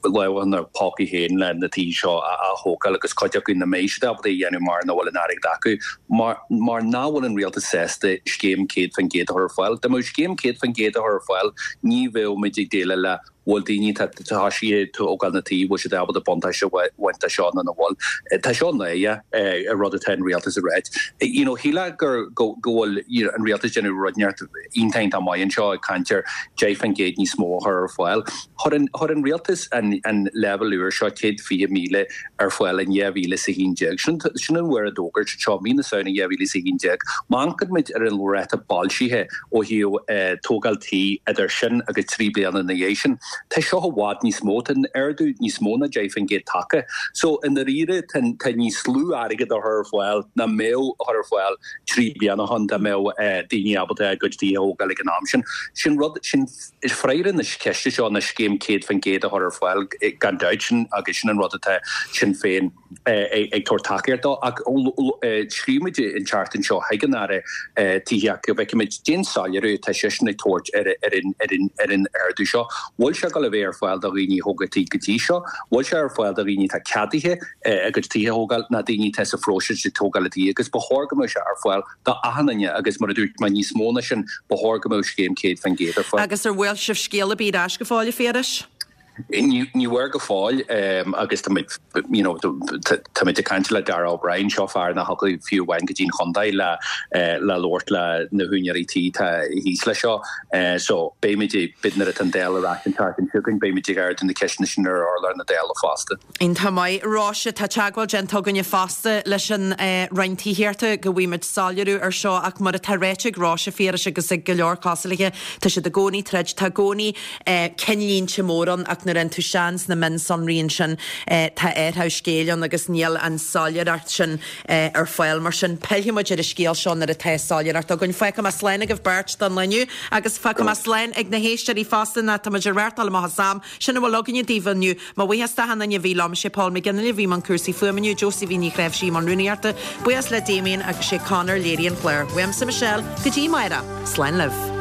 lámha ina bpócaí féin le na tithe seo a thógáil agus cuid acu nach mbeidh siad ábalta a dhéanamh mar nach bhfuil an airgead acu mar mar nach bhfuil an rialtas sásta scéim 100% a chur ar fáil. Dá mbeadh scéim 100% a chur ar fáil ní bheadh muid ag déileáil le bhfuil daoine atá tosaithe ag tógáil na tí, bhfuil siad ábalta buntáiste a bhaint de seo nó nach bhfuil. Tá seo náireach, an rud atá an rialtas ag ráit. You know, shílfeá gur, go, go bhfuil, you know, an rialtas ag déanamh rud inteacht iontach iontach maith anseo ag caint ar 10% níos mó a chur ar fáil. Chuir an, chuir an rialtas an, an leibhéal úr seo, 120,000, ar fáil in 2011. Sin, sin an uair a d'fhógair siad seo, mí na Samhna 2011. Má amharcann muid ar an ráta boilscithe ó thaobh tógáil tí idir sin agus 3 bliana ina dhiaidh sin, tá seo i bhfad níos mó, tá an ardú níos mó ná 10% tagtha. So, i ndáiríre, tá, tá níos lú airgead á chur ar fáil ná mbeadh á chur ar fáil 3 bliana ó shin dá mbeadh daoine ábalta a gcuid tithe a thógáil ag an am sin. Sin rud, sin. Is freagra na ceiste seo ná scéim 100% a chur ar fáil gan dabht, sin agus sin an rud atá Sinn Féin ag tabhairt tacaíocht dó. Ach scríobh muid an tseachtain seo chuig an Aire Tithíochta go bhfeicfimid cén soiléiriú atá seisean ag tabhairt ar an ardú seo. Bhfuil sé ag dul a bheith ar fáil do dhaoine a thóg tí go dtí seo? Bhfuil sé ar fáil do dhaoine atá ceadaithe a gcuid tithe a thógáil ná daoine atá sa phróiseas ag tógáil a dtithe? Agus ba chóir go mbeadh sé ar fáil do achan duine agus mar a dúirt mé níos mó ná sin, ba chóir go mbeadh scéim 100% ar fáil. Agus ar bhfuair sibh scéal ar bith ar ais go fóill, a Phiarais? Ní bhfuair go fóill agus tá muid, you know, tá muid ag caint le Darragh O'Brien, seo fear nach dtiocfaidh fiú amháin go dtí'n chontae le le labhairt le na húinéirí tí atá thíos leis seo. So beidh muid, nuair atá an Dáil ar ais an tseachtain seo chugainn, beidh muid ag ardú na ceisteanna sin ar urlár na Dála fosta. Iontach maith. Róise, tá teagmháil déanta againne fosta leis an Roinn Tithíochta go bhfaighidh muid soiléiriú ar seo ach mar atá ráite ag Róise, a Phiarais agus ag go leor cosúil léi, tá siad i gcónaí ag troid, tá i gcónaí cinnlínte mór ann ach nuair a théann tú isteach sna mionsonraí ansin tá athrú scéil ann agus níl an soiléireacht sin ar fáil. Mar sin pillfidh muid ar an scéal seo nuair atá soiléireacht againn. Fágfaidh mé slán agaibh beirt don lá inniu agus fágfaidh mé slán ag na héisteoirí fosta nó tá muid ag reáchtáil amach as am. Sin a bhfuil againne daoibh inniu. Mo bhuíochas d'achan duine a bhí liom, sé Paul McGinley a bhí i mbun cúrsaí fuaime inniu, Josephine Ní Chnáimhsí i mbun rúnaíochta, buíochas le Damien agus sé Conor léirigh an clár. Uaimse Michelle, go dtí amárach, slán libh.